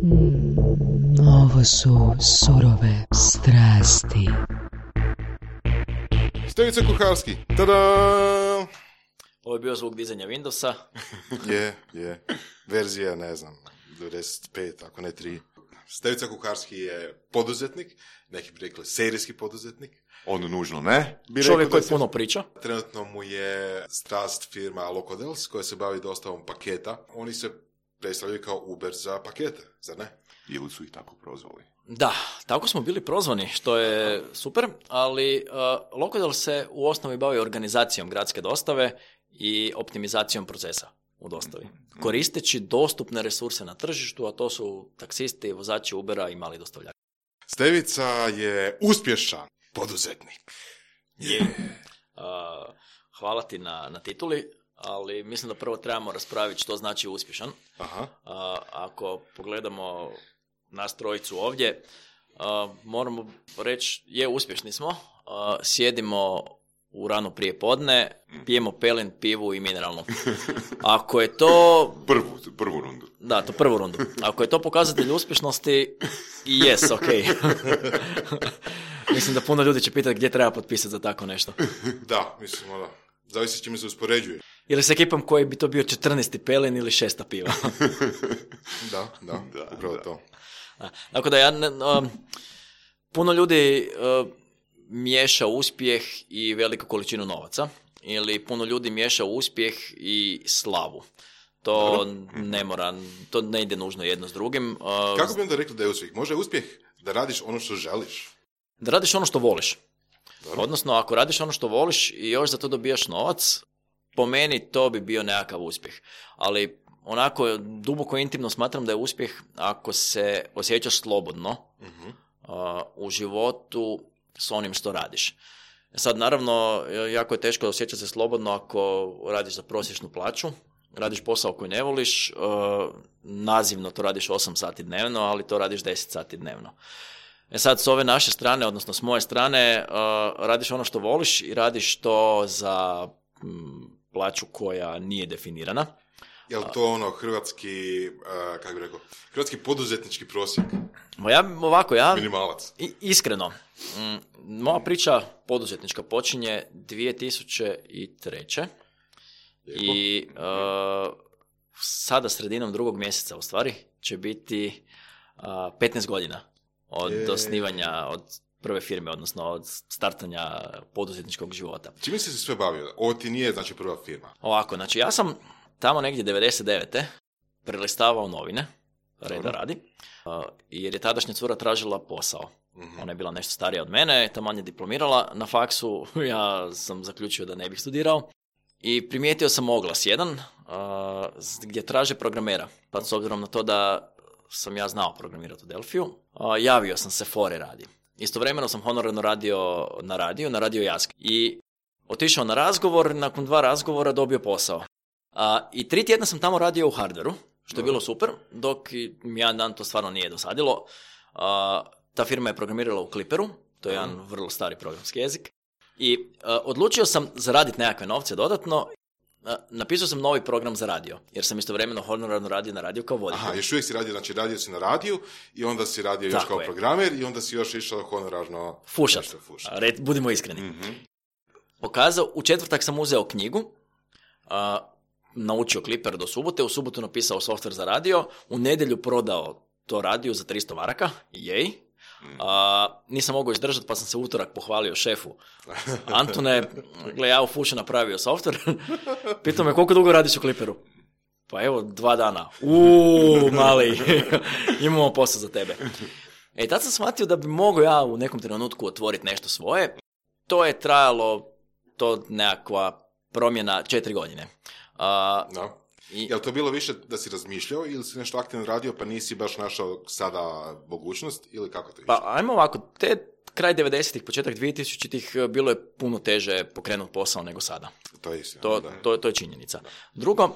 Ovo su surove strasti. Stevica Kuharski, tada! Ovo je bio zvuk dizanja Windowsa. Je. Verzija, ne znam, 95, ako ne 3. Stevica Kuharski je poduzetnik, neki bi rekli serijski poduzetnik. On nužno ne. Čovjek koji puno priča. Trenutno mu je strast firma Locodels koja se bavi dostavom paketa. Oni se predstavljaju kao Uber za pakete, zar ne? Ili su ih tako prozvali? Da, tako smo bili prozvani, što je super, ali Locodel se u osnovi bavi organizacijom gradske dostave i optimizacijom procesa u dostavi, koristeći dostupne resurse na tržištu, a to su taksisti, vozači Ubera i mali dostavljači. Stevica je uspješan poduzetnik. Hvala ti na tituli, ali mislim da prvo trebamo raspraviti što znači uspješan. Aha. Ako pogledamo nas trojicu ovdje, moramo reći, uspješni smo, sjedimo u rano prije podne, pijemo pelin, pivu i mineralnu. Ako je to... Prvu rundu. Da, to prvu rundu. Ako je to pokazatelj uspješnosti, yes, ok. Mislim da puno ljudi će pitati gdje treba potpisati za tako nešto. Da, mislim, zavisi s čime se uspoređuje. Ili s ekipom koji bi to bio 14. pelin ili 6. piva. Da, upravo to. Tako da puno ljudi miješa uspjeh i veliku količinu novaca, ili puno ljudi miješa uspjeh i slavu. To ne mora, to ne ide nužno jedno s drugim. Kako bi onda rekli da je uspjeh? Može uspjeh da radiš ono što želiš? Da radiš ono što voliš. Dobro. Odnosno, ako radiš ono što voliš i još za to dobijaš novac, po meni to bi bio nekakav uspjeh. Ali onako, duboko intimno smatram da je uspjeh ako se osjećaš slobodno u životu s onim što radiš. Sad, naravno, jako je teško osjećati se slobodno ako radiš za prosječnu plaću, radiš posao koji ne voliš, nazivno to radiš 8 sati dnevno, ali to radiš 10 sati dnevno. Sad, s ove naše strane, odnosno s moje strane, radiš ono što voliš i radiš to za plaću koja nije definirana. Je li to hrvatski, kako bih rekao, hrvatski poduzetnički prosjek? Minimalac. Iskreno, moja priča poduzetnička počinje 2003. Lijepo. I sada sredinom 2. mjeseca u stvari će biti 15 godina od osnivanja, od prve firme, odnosno od startanja poduzetničkog života. Čime si se sve bavio? Ovo ti nije, znači, prva firma. Ovako, znači ja sam tamo negdje 99. prelistavao novine, reda radi, jer je tadašnja cura tražila posao. Ona je bila nešto starija od mene, taman je diplomirala na faksu, ja sam zaključio da ne bih studirao. I primijetio sam oglas jedan, gdje traže programera. Pa s obzirom na to da sam ja znao programirati u Delfiju, javio sam se fore radi. Istovremeno sam honorarno radio na radio Jask. I otišao na razgovor, nakon 2 razgovora dobio posao. I 3 tjedna sam tamo radio u hardveru, što je bilo super, dok jedan dan to stvarno nije dosadilo. Ta firma je programirala u Clipperu, to je jedan vrlo stari programski jezik. I odlučio sam zaraditi nekakve novce dodatno. Napisao sam novi program za radio, jer sam istovremeno honorarno radio na radiju kao voditelj. Aha, još uvijek si radio, znači radio si na radiju i onda si radio još kao programer i onda si još išao honorarno... Fušat. Budimo iskreni. Pokazao, u četvrtak sam uzeo knjigu, naučio Clipper do subote, u subotu napisao softver za radio, u nedjelju prodao to radio za 300 maraka, jej. Nisam mogao izdržati pa sam se utorak pohvalio šefu. Antone, gle, ja u Fušu napravio softver. Pitao me koliko dugo radiš u Clipperu? Pa evo, 2 dana. Mali, imamo posao za tebe. Tad sam shvatio da bi mogao ja u nekom trenutku otvoriti nešto svoje. To je trajalo, to nekakva promjena 4 godine. Je li to bilo više da si razmišljao ili si nešto aktivno radio pa nisi baš našao sada mogućnost ili kako to išlo? Pa ajmo ovako, kraj 90-ih, početak 2000-ih bilo je puno teže pokrenuti posao nego sada. To je istina. To je činjenica. Drugo,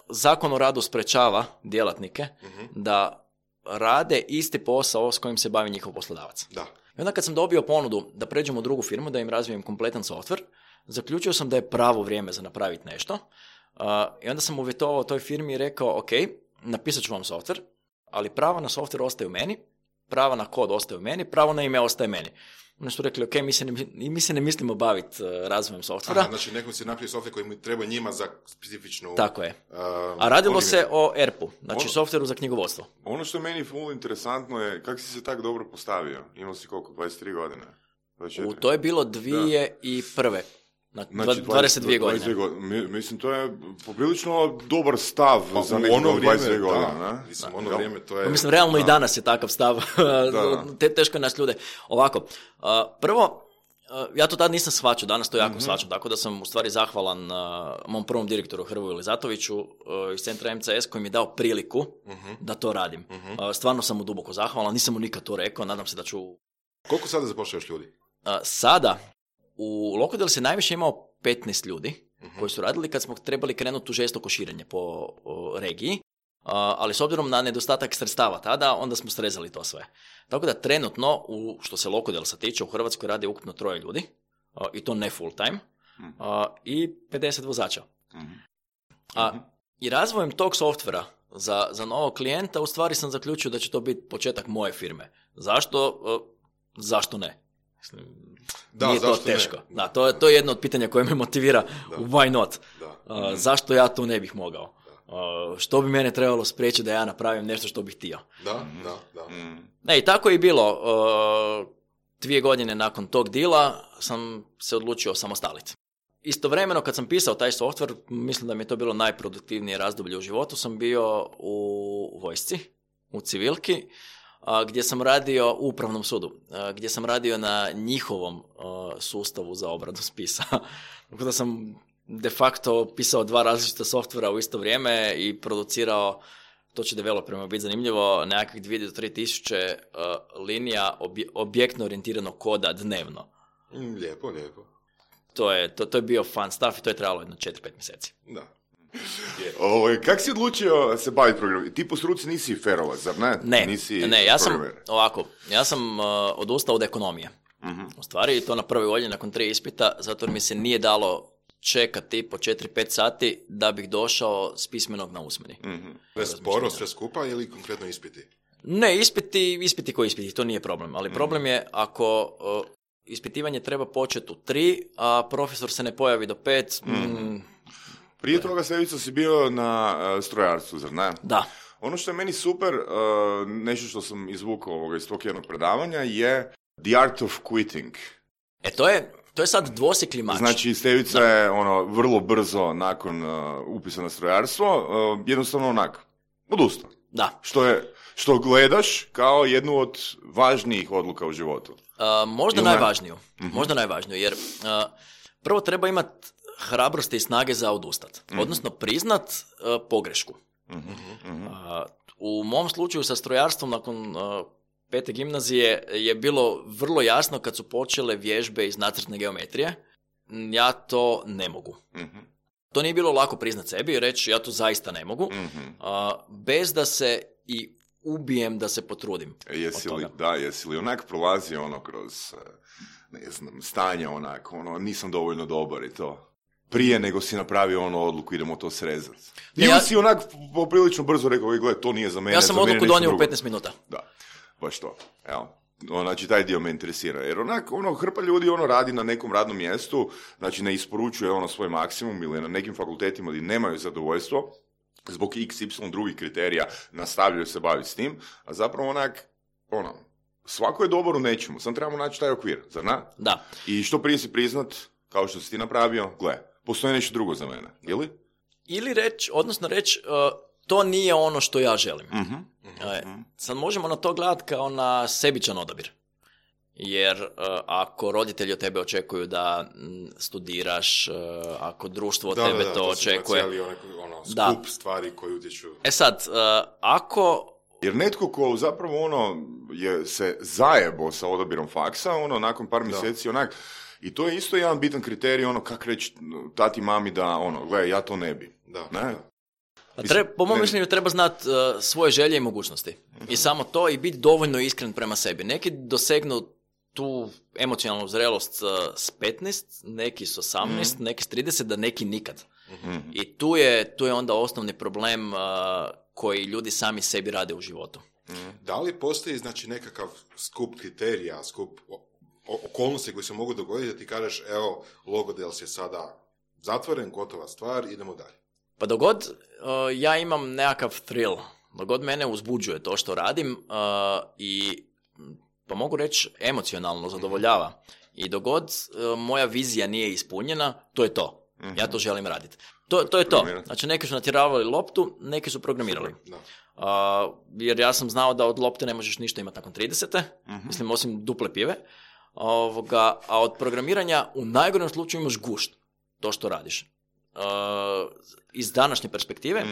Zakon o radu sprečava djelatnike da rade isti posao s kojim se bavi njihov poslodavac. Da. I onda kad sam dobio ponudu da pređem u drugu firmu, da im razvijem kompletan softver, zaključio sam da je pravo vrijeme za napraviti nešto. I onda sam uvjetovao toj firmi i rekao, ok, napisat ću vam softver, ali pravo na software ostaje u meni, pravo na kod ostaje u meni, pravo na ime ostaje meni. Oni su rekli, ok, mi se ne mislimo baviti razvojem softvera. Aha, znači nekom si napravio software koji treba njima za specifičnu... Tako je. A radilo se o ERP-u, znači softveru za knjigovodstvo. Ono što je meni full interesantno je kako si se tako dobro postavio. Imao si koliko, 23 godine? 24? To je bilo 2001. Znači 22 godine. Mislim, to je poprilično dobar stav za nekog 22 godina. Mislim, ono vrijeme to je... Mislim, realno i danas je takav stav. Teško je nas ljude. Ovako, prvo, ja to tad nisam shvaćao, danas to jako shvaćam, tako da sam u stvari zahvalan mom prvom direktoru Hrvoju Lizatoviću iz centra MCS koji mi je dao priliku da to radim. Stvarno sam mu duboko zahvalan, nisam mu nikad to rekao, nadam se da ću... Koliko sada zapošljavaš ljudi? Sada, u Locodel se najviše imao 15 ljudi koji su radili kad smo trebali krenuti u žestoko širenje po regiji, ali s obzirom na nedostatak sredstava tada, onda smo srezali to sve. Tako da trenutno, što se Locodelsa tiče, u Hrvatskoj radi ukupno 3 ljudi, i to ne full time, i 50 vozača. I razvojem tog softvera za novog klijenta, u stvari sam zaključio da će to biti početak moje firme. Zašto? Zašto ne? Nije to teško. Da, to je jedno od pitanja koje me motivira. Why not? Zašto ja to ne bih mogao? Što bi mene trebalo spriječiti da ja napravim nešto što bih htio? Da. I tako je i bilo. 2 godine nakon tog dila sam se odlučio samostaliti. Istovremeno kad sam pisao taj softver, mislim da mi je to bilo najproduktivnije razdoblje u životu, sam bio u vojsci, u civilki, gdje sam radio u upravnom sudu, gdje sam radio na njihovom sustavu za obradu spisa. Tako da sam de facto pisao 2 različita softvera u isto vrijeme i producirao, to će developerima biti zanimljivo, nekakvih 2 do 3 tisuće linija objektno orijentiranog koda dnevno. Lijepo. To je bio fun stuff i to je trajalo jedno 4-5 mjeseci. Da. Kak si odlučio se baviti programom? Ti po struci nisi ferovac, zar ne? Ne, ja sam odustao od ekonomije. U stvari, to na prvoj godini nakon 3 ispita, zato jer mi se nije dalo čekati po 4-5 sati da bih došao s pismenog na usmeni. Sporo, sve skupa ili konkretno ispiti? Ne, ispiti koji ispiti, to nije problem. Ali problem je ako ispitivanje treba početi u 3, a profesor se ne pojavi do 5... Prije toga, Stevica, si bio na strojarstvu, zar ne? Da. Ono što je meni super, nešto što sam izvukao iz tog jednog predavanja, je The Art of Quitting. To je sad dvosjekli mač. Znači, Stevica je vrlo brzo nakon upisa na strojarstvo, jednostavno odustao. Da. Što gledaš kao jednu od važnijih odluka u životu. Možda najvažniju, jer prvo treba imati hrabrosti i snage za odustat. Odnosno priznat pogrešku. U mom slučaju sa strojarstvom nakon 5. gimnazije je bilo vrlo jasno kad su počele vježbe iz nacrtne geometrije. Ja to ne mogu. To nije bilo lako priznat sebi i reći ja to zaista ne mogu. Bez da se i ubijem da se potrudim. Jesi li onak prolazio kroz stanje nisam dovoljno dobar i to? Prije nego si napravio odluku, idemo to srezati. Ili si onak poprilično brzo rekao, gled, to nije za mene. Ja sam odluku donio u 15 minuta. Da, baš to. Evo. Znači, taj dio me interesira. Jer hrpa ljudi radi na nekom radnom mjestu, znači ne isporučuje svoj maksimum ili na nekim fakultetima gdje nemaju zadovoljstvo, zbog XY drugih kriterija nastavljaju se baviti s tim, a zapravo svako je dobar u nečemu, samo trebamo naći taj okvir, zar ne? Da. I što prije si priznat, kao što si ti napravio, postoji nešto drugo za mene, ili? Ili reći, to nije ono što ja želim. Sad možemo na to gledati kao na sebičan odabir. Jer ako roditelji od tebe očekuju da studiraš, ako društvo od tebe to očekuje... Da, to je cijeli skup stvari koji utječu. Sad, ako... Jer netko ko zapravo je se zajebo sa odabirom faksa, nakon par mjeseci i to je isto jedan bitan kriterij, kak reći tati mami da, gledaj, ja to ne bi. Ne? Po mom mišljenju treba znati svoje želje i mogućnosti. I samo to i biti dovoljno iskren prema sebi. Neki dosegnu tu emocionalnu zrelost s 15, neki s 18, neki s 30, da neki nikad. I tu je onda osnovni problem koji ljudi sami sebi rade u životu. Da li postoji, znači, nekakav skup kriterija, skup okolnosti koji se mogu dogoditi da ti kažeš, evo, Logodels je sada zatvoren, gotova stvar, idemo dalje? Pa dogod ja imam nekakav thrill, dogod mene uzbuđuje to što radim i pa mogu reći emocionalno zadovoljava. I dogod moja vizija nije ispunjena, to je to. Ja to želim raditi. To je to. Znači, neki su natjeravali loptu, neki su programirali. Jer ja sam znao da od lopte ne možeš ništa imati nakon 30. Mislim, osim duple pive. A od programiranja u najgorem slučaju imaš gušt. To što radiš. Iz današnje perspektive,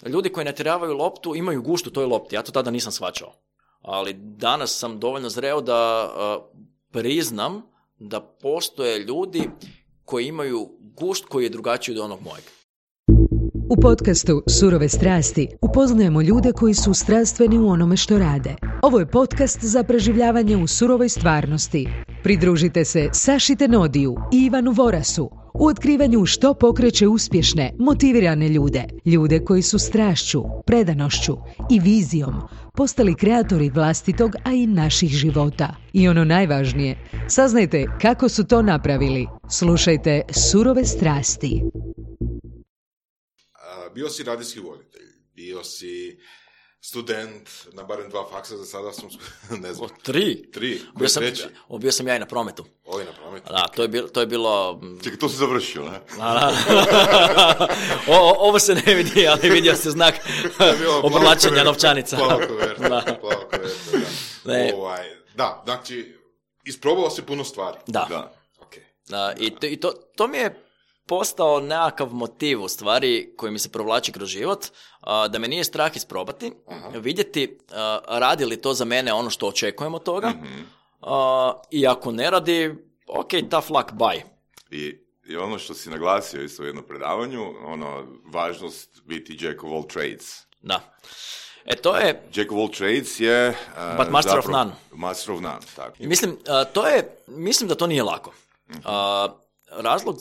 ljudi koji natjeravaju loptu imaju gušt u toj lopti. Ja to tada nisam shvaćao. Ali danas sam dovoljno zreo da priznam da postoje ljudi koji imaju gušt koji je drugačiji od onog mojeg. U podcastu Surove strasti upoznajemo ljude koji su strastveni u onome što rade. Ovo je podcast za preživljavanje u surovoj stvarnosti. Pridružite se Saši Tenodiju i Ivanu Vorasu u otkrivanju što pokreće uspješne, motivirane ljude. Ljude koji su strašću, predanošću i vizijom postali kreatori vlastitog, a i naših života. I ono najvažnije, saznajte kako su to napravili. Slušajte Surove strasti. Bio si radijski voditelj, bio si student na barem 2 faksa, za sada sam, ne znam. 3? Bio sam ja i na prometu. I na prometu. Da, to je bilo... Čekaj, to si završio, ne? Ovo se ne vidi, ali vidio se znak obrlačenja novčanica. Plavo koverta. Da, znači, isprobao si puno stvari. Da. Okay. I to mi je postao nekakav motiv u stvari koji mi se provlači kroz život, da me nije strah isprobati, vidjeti radi li to za mene ono što očekujem od toga, i ako ne radi, ok, tough luck, bye. I ono što si naglasio isto u jednom predavanju, važnost biti Jack of all trades. Da. To je... Jack of all trades je... but master of none. Master of none, tako. I mislim da to nije lako. Razlog,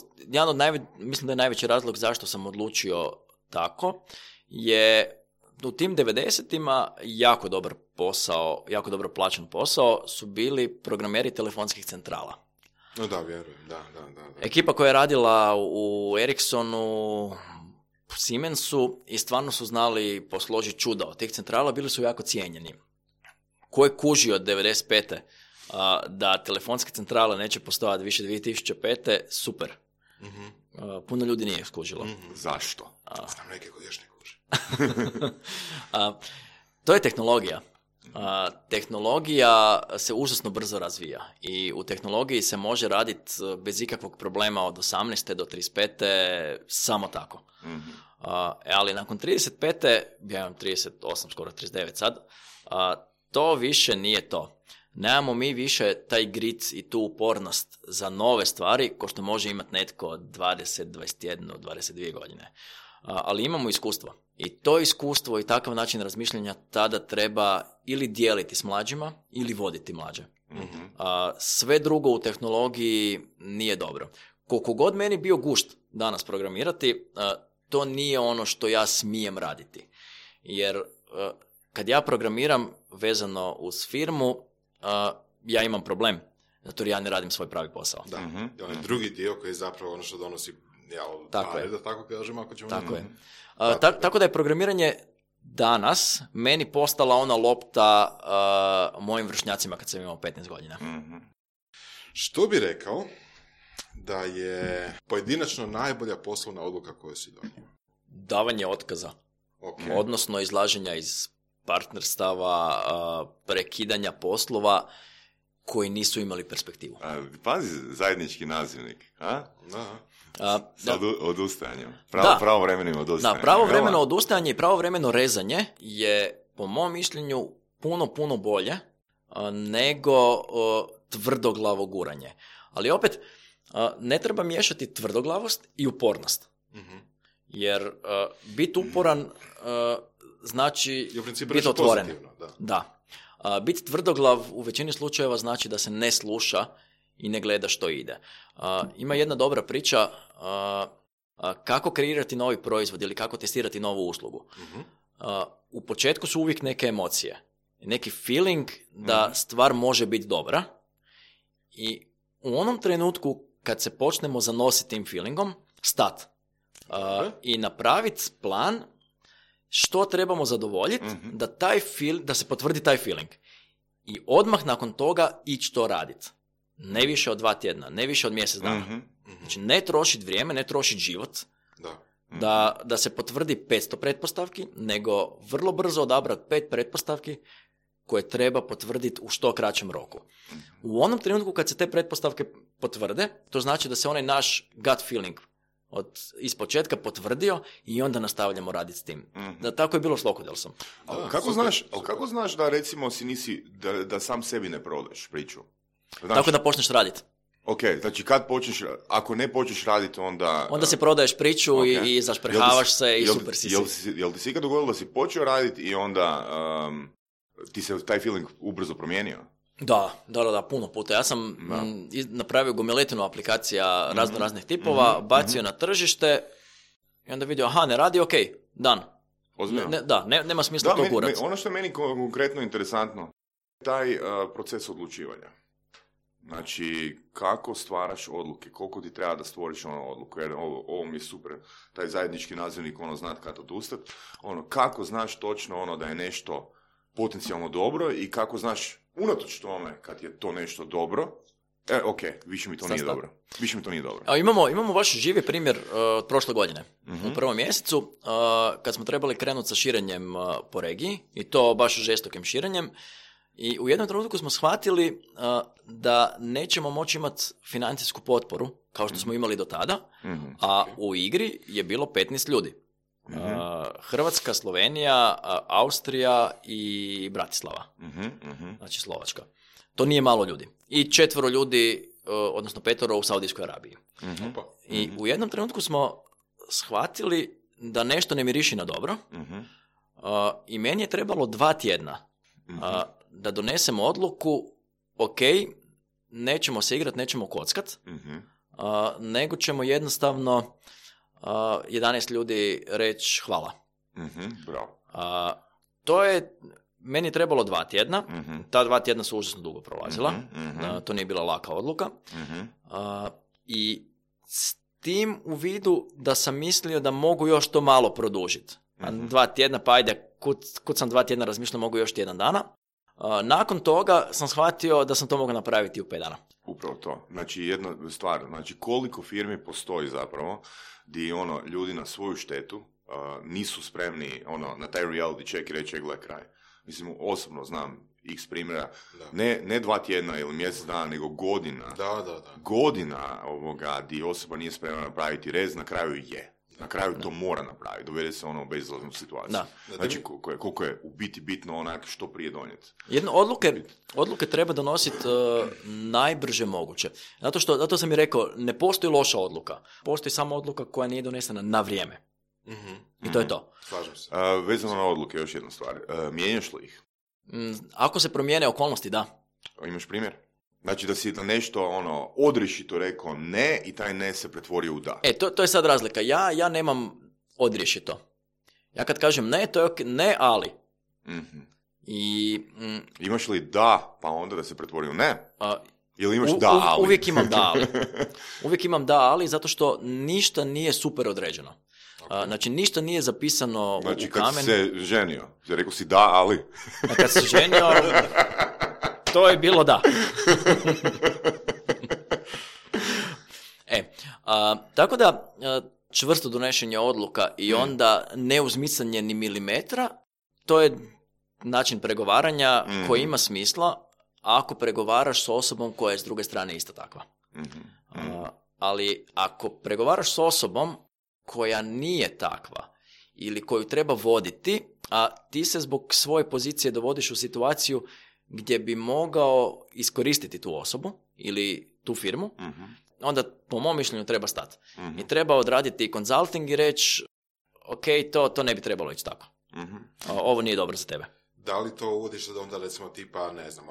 mislim da je najveći razlog zašto sam odlučio tako, je u tim 90-ima jako dobar posao, jako dobro plaćen posao su bili programeri telefonskih centrala. No da, vjerujem, da. Ekipa koja je radila u Ericssonu, Siemensu i stvarno su znali posložiti čuda od tih centrala, bili su jako cijenjeni. Ko je kužio od 95. Da telefonske centrale neće postojati više 2005. Super. Puno ljudi nije skužilo. Zašto? Znam neke koji još ne kuže. To je tehnologija. Tehnologija se užasno brzo razvija i u tehnologiji se može raditi bez ikakvog problema od 18. do 35. samo tako. Ali nakon 35. ja imam 38, skoro 39 sad, to više nije to. Nemamo mi više taj grit i tu upornost za nove stvari ko što može imati netko od 20, 21, 22 godine. Ali imamo iskustvo. I to iskustvo i takav način razmišljanja tada treba ili dijeliti s mlađima ili voditi mlađe. Sve drugo u tehnologiji nije dobro. Koliko god meni bio gušt danas programirati, to nije ono što ja smijem raditi. Jer kad ja programiram vezano uz firmu, ja imam problem, zato jer ja ne radim svoj pravi posao. Da, i onaj drugi dio koji je zapravo ono što donosi pare, da tako kažem, ako ćemo... Tako je. Tako da je programiranje danas meni postala ona lopta mojim vršnjacima kad sam imao 15 godina. Što bi rekao da je pojedinačno najbolja poslovna odluka koju si donio? Davanje otkaza. Okay. Odnosno izlaženja iz partnerstava, prekidanja poslova koji nisu imali perspektivu. Pazi, zajednički nazivnik. Sad odustajanjem. Pravovremenim odustajanjem. Da, pravovremeno odustajanje i pravovremeno rezanje je, po mom mišljenju, puno bolje nego tvrdoglavo guranje. Ali opet, ne treba miješati tvrdoglavost i upornost. Jer biti uporan znači biti otvoren. Da. Biti tvrdoglav u većini slučajeva znači da se ne sluša i ne gleda što ide. Ima jedna dobra priča kako kreirati novi proizvod ili kako testirati novu uslugu. U početku su uvijek neke emocije. neki feeling da stvar može biti dobra i u onom trenutku kad se počnemo zanositi tim feelingom, stat i napraviti plan što trebamo zadovoljiti da se potvrdi taj feeling. I odmah nakon toga ići to raditi. Ne više od 2 tjedna, ne više od mjesec dana. Znači ne trošiti vrijeme, ne trošiti život da se potvrdi 500 pretpostavki, nego vrlo brzo odabrati 5 pretpostavki koje treba potvrditi u što kraćem roku. U onom trenutku kad se te pretpostavke potvrde, to znači da se onaj naš gut feeling ispočetka potvrdio i onda nastavljamo raditi s tim. Da, tako je bilo s Locodelsom. Kako znaš da recimo da sam sebi ne prodaš priču? Znaš, tako da počneš raditi. Ok, znači kad počneš, ako ne počneš raditi onda... Onda si prodaješ priču i zašprehavaš se i super si. Jel ti si ikad dogodilo da si počeo raditi i onda ti se taj feeling ubrzo promijenio? Da, puno puta. Ja sam napravio gomiletinu aplikacija raznih tipova, bacio na tržište i onda vidio, ne radi, ok, dan. Ozbiljno? Nema smisla to gurati. Ono što je meni konkretno interesantno, taj proces odlučivanja. Znači, kako stvaraš odluke, koliko ti treba da stvoriš odluku, jer ovo mi je super, taj zajednički nazivnik, znat kad odustat, kako znaš točno da je nešto potencijalno dobro i kako znaš unatoč tome kad je to nešto dobro, više mi to nije dobro. Imamo vaš živi primjer od prošle godine. U prvom mjesecu, kad smo trebali krenuti sa širenjem po regiji, i to baš žestokim širenjem, i u jednom trenutku smo shvatili da nećemo moći imati financijsku potporu, kao što smo imali do tada, a u igri je bilo 15 ljudi. Hrvatska, Slovenija, Austrija i Bratislava. Znači Slovačka. To nije malo ljudi. I 4 ljudi, odnosno 5 u Saudijskoj Arabiji. I u jednom trenutku smo shvatili da nešto ne miriši na dobro i meni je trebalo 2 tjedna da donesemo odluku, ok, nećemo se igrati, nećemo kockat, nego ćemo jednostavno 11 ljudi reći hvala. Bravo. To je meni trebalo 2 tjedna. Ta 2 tjedna su užasno dugo prolazila. To nije bila laka odluka. I s tim u vidu da sam mislio da mogu još to malo produžiti. 2 tjedna, pa ajde, kud sam 2 tjedna razmišljao, mogu još tjedan dana. Nakon toga sam shvatio da sam to mogao napraviti u 5 dana. Upravo to. Znači, jedna stvar, koliko firmi postoji zapravo gdje ljudi na svoju štetu nisu spremni na taj reality check i reći, gle kraj. Mislim, osobno znam x primjera, ne 2 tjedna ili mjesec dana, nego godina. Godina gdje osoba nije spremna napraviti rez, na kraju je. Na kraju to mora napraviti, dovede se u bezizlaznu situaciju. Znači, koliko je u biti bitno što prije donijeti. Odluke treba donositi najbrže moguće. Zato sam i rekao, ne postoji loša odluka. Postoji samo odluka koja nije donesena na vrijeme. I to je to. Slažem se. Vezano na odluke, još jedna stvar. Mijenjaš li ih? Ako se promijene okolnosti, da. Imaš primjer? Znači da si da nešto odriješito rekao ne i taj ne se pretvorio u da. To je sad razlika. Ja nemam odriješito. Ja kad kažem ne, to je ok, ne, ali. Imaš li da, pa onda da se pretvori u ne? Ili imaš da, ali? Uvijek imam da, ali. Uvijek imam da, ali, zato što ništa nije super određeno. Znači, ništa nije zapisano u kamen. Znači, kad si se ženio, rekao si da, ali? Kad si se ženio, to je bilo da. Tako da, čvrsto donošenje odluka i onda neuzmicanje ni milimetra, to je način pregovaranja koji ima smisla ako pregovaraš s osobom koja je s druge strane isto takva. Ali ako pregovaraš s osobom koja nije takva ili koju treba voditi, a ti se zbog svoje pozicije dovodiš u situaciju gdje bi mogao iskoristiti tu osobu ili tu firmu, onda po mom mišljenju treba stati. I treba odraditi konzulting i reći, ok, to ne bi trebalo ići tako. Ovo nije dobro za tebe. Da li to uvodiš da onda recimo tipa, ne znam,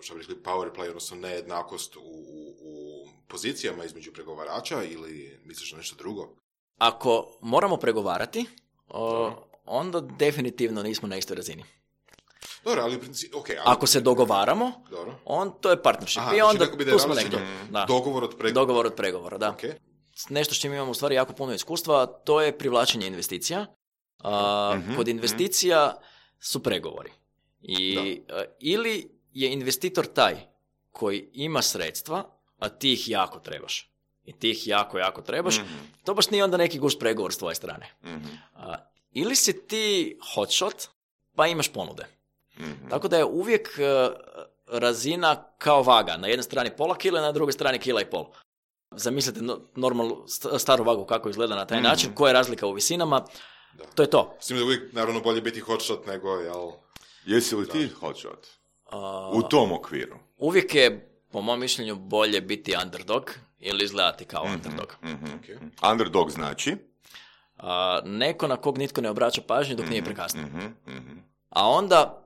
što bi rekli power play, odnosno nejednakost u pozicijama između pregovarača ili misliš na nešto drugo? Ako moramo pregovarati, onda definitivno nismo na istoj razini. Dobro, ali okay, Ako se dogovaramo, to je partnership. Aha, I onda znači tu smo negdje. Dogovor od pregovora. Dogovor od pregovora, da. Okay. Nešto s čim imamo u stvari jako puno iskustva, to je privlačenje investicija. Kod investicija su pregovori. Ili je investitor taj koji ima sredstva, a ti ih jako trebaš. I ti ih jako trebaš. To baš nije onda neki gušt pregovor s tvoje strane. Ili si ti hotshot, pa imaš ponude. Tako da je uvijek razina kao vaga. Na jednoj strani pola kila, na drugoj strani kila i pol. Zamislite normalnu staru vagu kako izgleda na taj način, koja je razlika u visinama. Da. To je to. S tim da uvijek, naravno, bolje biti hotshot nego, jel? Jesi li ti hotshot? U tom okviru? Uvijek je, po mom mišljenju, bolje biti underdog ili izgledati kao underdog. Okay. Underdog znači? Neko na kog nitko ne obraća pažnju dok nije prekasno. A onda,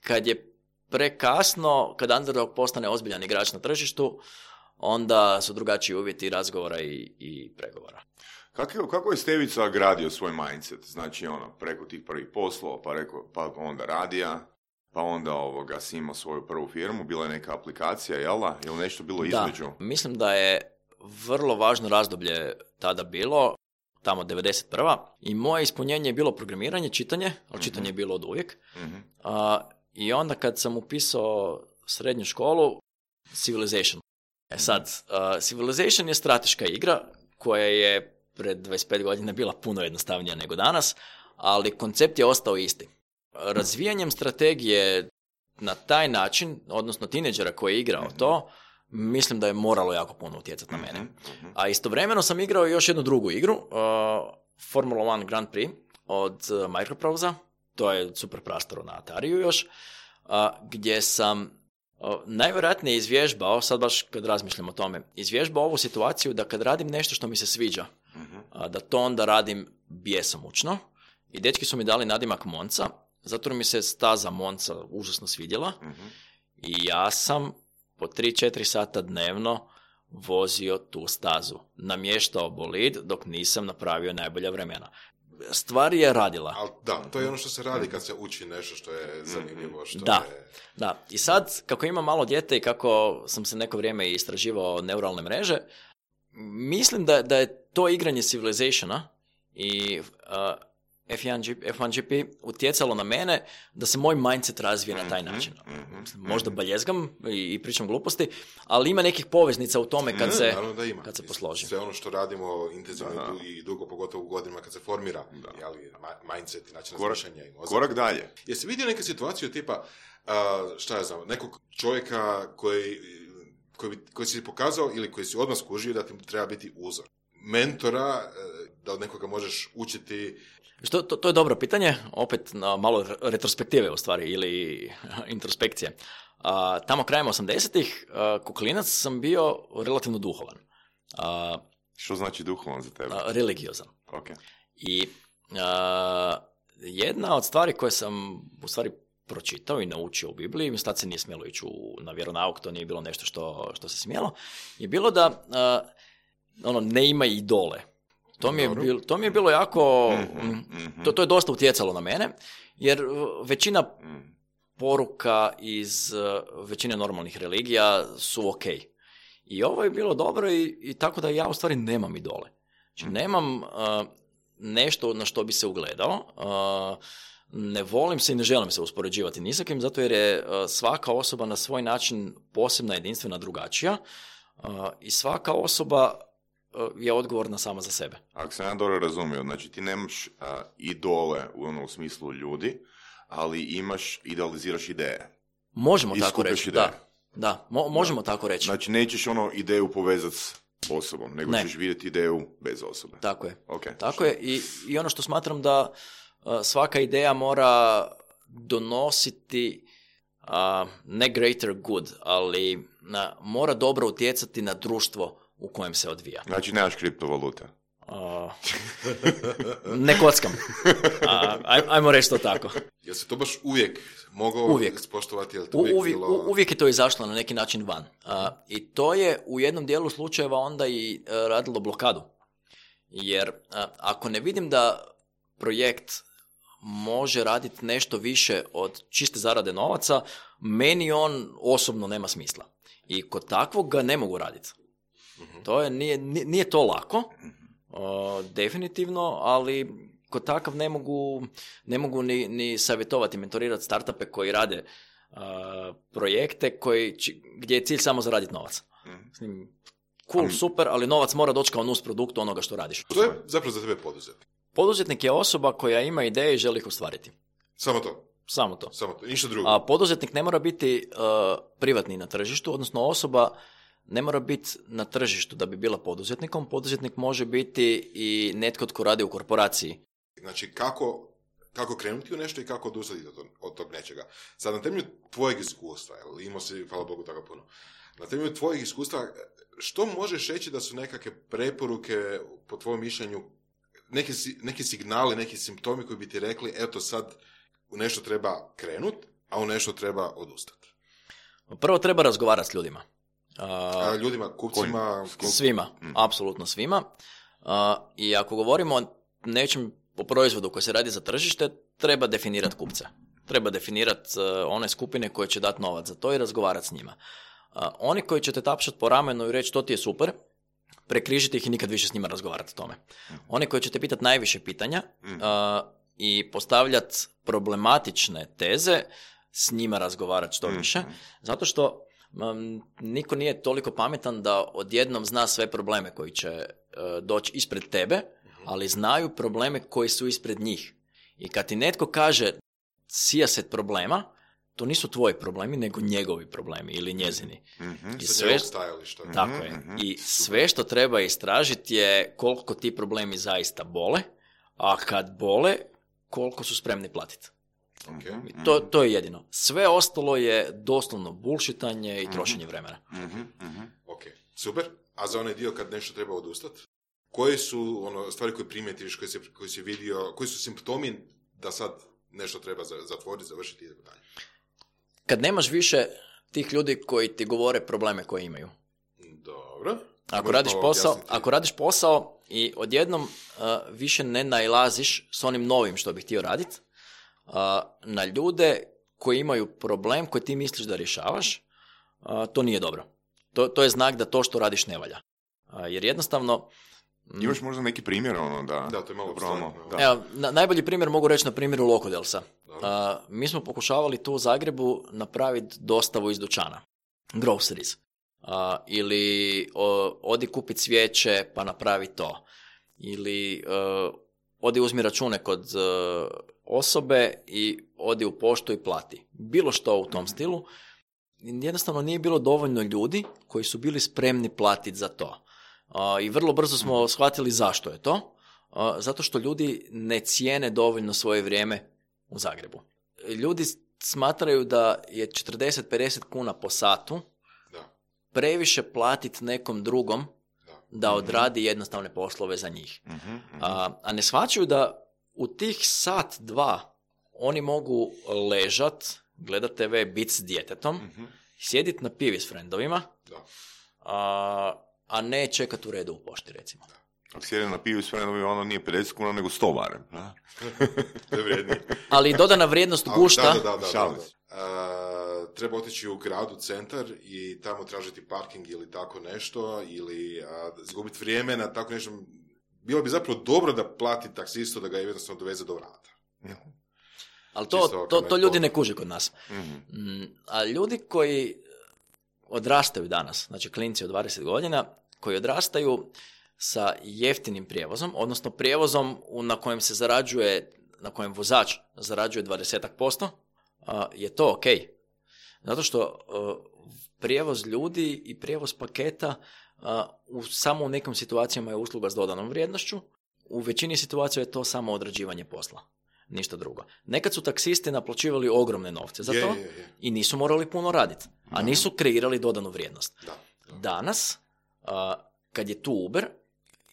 kad je prekasno, kad underdog postane ozbiljan igrač na tržištu, onda su drugačiji uvjeti razgovora i pregovora. Kako je Stevica gradio svoj mindset? Znači, preko tih prvih poslova, pa onda radija, pa onda si imao svoju prvu firmu, bila je neka aplikacija, jel da? Ili nešto bilo između? Da, mislim da je vrlo važno razdoblje tada bilo, tamo 91. I moje ispunjenje je bilo programiranje, čitanje, ali čitanje je bilo od uvijek. I onda kad sam upisao srednju školu, Civilization. Sad, Civilization je strateška igra koja je pred 25 godina bila puno jednostavnija nego danas, ali koncept je ostao isti. Razvijanjem strategije na taj način, odnosno tineđera koji je igrao to, mislim da je moralo jako puno utjecati na mene. A istovremeno sam igrao još jednu drugu igru, Formula 1 Grand Prix od Microprose, to je super prastaro na Atariju još, gdje sam najvjerojatnije izvježbao, sad baš kad razmišljam o tome, izvježbao ovu situaciju da kad radim nešto što mi se sviđa, da to onda radim bjesomučno. I dečki su mi dali nadimak Monca, zato mi se staza Monca užasno svidjela. I ja sam po 3-4 sata dnevno vozio tu stazu. Namještao bolid dok nisam napravio najbolja vremena. Stvar je radila. Ali da, to je ono što se radi kad se uči nešto što je zanimljivo. Da. I sad, kako imam malo dijete i kako sam se neko vrijeme istraživao neuralne mreže, mislim da je to igranje Civilizationa i F1GP utjecalo na mene da se moj mindset razvije na taj način. Možda baljezgam i pričam gluposti, ali ima nekih poveznica u tome kad se posloži. Sve ono što radimo intenzivno i dugo, pogotovo u godinama kad se formira mindset i način razmišljanja i mozak. Korak dalje. Jesi vidio neke situacije tipa, šta ja znam, nekog čovjeka koji si pokazao ili koji si odmah skužio da ti treba biti uzor? Mentora, da od nekoga možeš učiti. To je dobro pitanje, opet malo retrospektive u stvari ili introspekcije. Tamo krajem 80-ih, ko klinac sam bio relativno duhovan. Što znači duhovan za tebe? Religiozan. Okay. I jedna od stvari koje sam u stvari pročitao i naučio u Bibliji, tad se nije smjelo ići na vjeronauk, to nije bilo nešto što se smjelo, je bilo da ne ima idole. To mi je bilo jako, to je dosta utjecalo na mene, jer većina poruka iz većine normalnih religija su ok. I ovo je bilo dobro i tako da ja u stvari nemam idole. Znači nemam nešto na što bi se ugledao, ne volim se i ne želim se uspoređivati ni sa kim, zato jer je svaka osoba na svoj način posebna, jedinstvena, drugačija i svaka osoba je odgovorna sama za sebe. Ako sam ja dobro razumio, znači ti nemaš idole u smislu ljudi, ali idealiziraš ideje. Možemo tako reći, da. Možemo tako reći. Znači nećeš ideju povezati s osobom, nego ćeš vidjeti ideju bez osobe. Tako je. Okay. Tako je i ono što smatram da svaka ideja mora donositi ne greater good, ali mora dobro utjecati na društvo u kojem se odvija. Znači nemaš kriptovaluta? Ne kockam. Ajmo reći to tako. Jel se to baš uvijek mogao spoštovati? Uvijek je to izašlo na neki način van. I to je u jednom dijelu slučajeva onda i radilo blokadu. Jer ako ne vidim da projekt može raditi nešto više od čiste zarade novaca, meni on osobno nema smisla. I kod takvog ga ne mogu raditi. To je, nije to lako, definitivno, ali kod takav ne mogu ni savjetovati, mentorirati startupe koji rade projekte gdje je cilj samo zaraditi novac. Cool, super, ali novac mora doći kao nus produkt onoga što radiš. To je zapravo za tebe poduzetnik. Poduzetnik je osoba koja ima ideje i želi ih ostvariti. Samo to? Samo to. Ništa drugo. A poduzetnik ne mora biti privatni na tržištu, odnosno osoba ne mora biti na tržištu da bi bila poduzetnikom. Poduzetnik može biti i netko tko radi u korporaciji. Znači, kako krenuti u nešto i kako odustati od tog nečega. Sad, na temelju tvojeg iskustva, imao si, hvala Bogu, tako puno, na temelju tvojeg iskustva, što možeš reći da su nekakve preporuke, po tvojom mišljenju, neki signali, neki simptomi koji bi ti rekli, eto sad u nešto treba krenut, a u nešto treba odustati? Prvo treba razgovarati s ljudima. Ljudima, kupcima? Svima, apsolutno svima. I ako govorimo o nečem, o proizvodu koji se radi za tržište, treba definirati kupce. Treba definirati one skupine koje će dati novac za to i razgovarati s njima. Oni koji će te tapšati po ramenu i reći to ti je super, prekrižiti ih i nikad više s njima razgovarati o tome. Oni koji će te pitati najviše pitanja i postavljati problematične teze, s njima razgovarati što više. Zato što niko nije toliko pametan da odjednom zna sve probleme koji će doći ispred tebe, ali znaju probleme koji su ispred njih. I kad ti netko kaže sijaset problema, to nisu tvoji problemi, nego njegovi problemi ili njezini. I sve, tako je. I sve što treba istražiti je koliko ti problemi zaista bole, a kad bole, koliko su spremni platiti. To je jedino. Sve ostalo je doslovno bullshitanje i trošenje vremena. Ok, super. A za onaj dio kad nešto treba odustati? Koje su stvari koje primijetiš, koje si vidio, koji su simptomi da sad nešto treba zatvoriti, završiti i tako dalje? Kad nemaš više tih ljudi koji ti govore probleme koje imaju. Dobro. Ako radiš posao i odjednom više ne nailaziš s onim novim što bi htio raditi, na ljude koji imaju problem koji ti misliš da rješavaš, to nije dobro. To je znak da to što radiš ne valja. Jer jednostavno... Imaš možda neki primjer? Da, to je malo dobro. Evo, najbolji primjer mogu reći na primjeru Lokodelsa. Mi smo pokušavali tu u Zagrebu napraviti dostavu iz dućana. Groceries. Ili odi kupiti cvijeće pa napravi to. Ili odi uzmi račune kod osobe i odi u poštu i plati. Bilo što u tom stilu. Jednostavno nije bilo dovoljno ljudi koji su bili spremni platiti za to. I vrlo brzo smo shvatili zašto je to. Zato što ljudi ne cijene dovoljno svoje vrijeme u Zagrebu. Ljudi smatraju da je 40-50 kuna po satu previše platiti nekom drugom da odradi jednostavne poslove za njih. A ne shvaćaju da u tih sat, dva oni mogu ležat, gledat TV, bit s djetetom, sjedit na pivi s frendovima, a ne čekat u redu u pošti, recimo. Ako sjedi na pivi s frendovima, ono nije 50 kuna, nego 100 barem. To je vrijednije. Ali dodana vrijednost gušta... Treba otići u gradu, centar i tamo tražiti parking ili tako nešto, ili izgubiti vrijeme na tako nešto. Bilo bi zapravo dobro da plati taksistu da ga jednostavno doveze do vrata. Ali to ljudi ne kuže kod nas. A ljudi koji odrastaju danas, znači klinci od 20 godina, koji odrastaju sa jeftinim prijevozom, odnosno prijevozom na kojem se zarađuje, na kojem vozač zarađuje 20%, je to ok. Zato što prijevoz ljudi i prijevoz paketa samo u nekim situacijama je usluga s dodanom vrijednošću, u većini situacija je to samo odrađivanje posla. Ništa drugo. Nekad su taksisti naplaćivali ogromne novce za to i nisu morali puno raditi, a nisu kreirali dodanu vrijednost. Danas, kad je tu Uber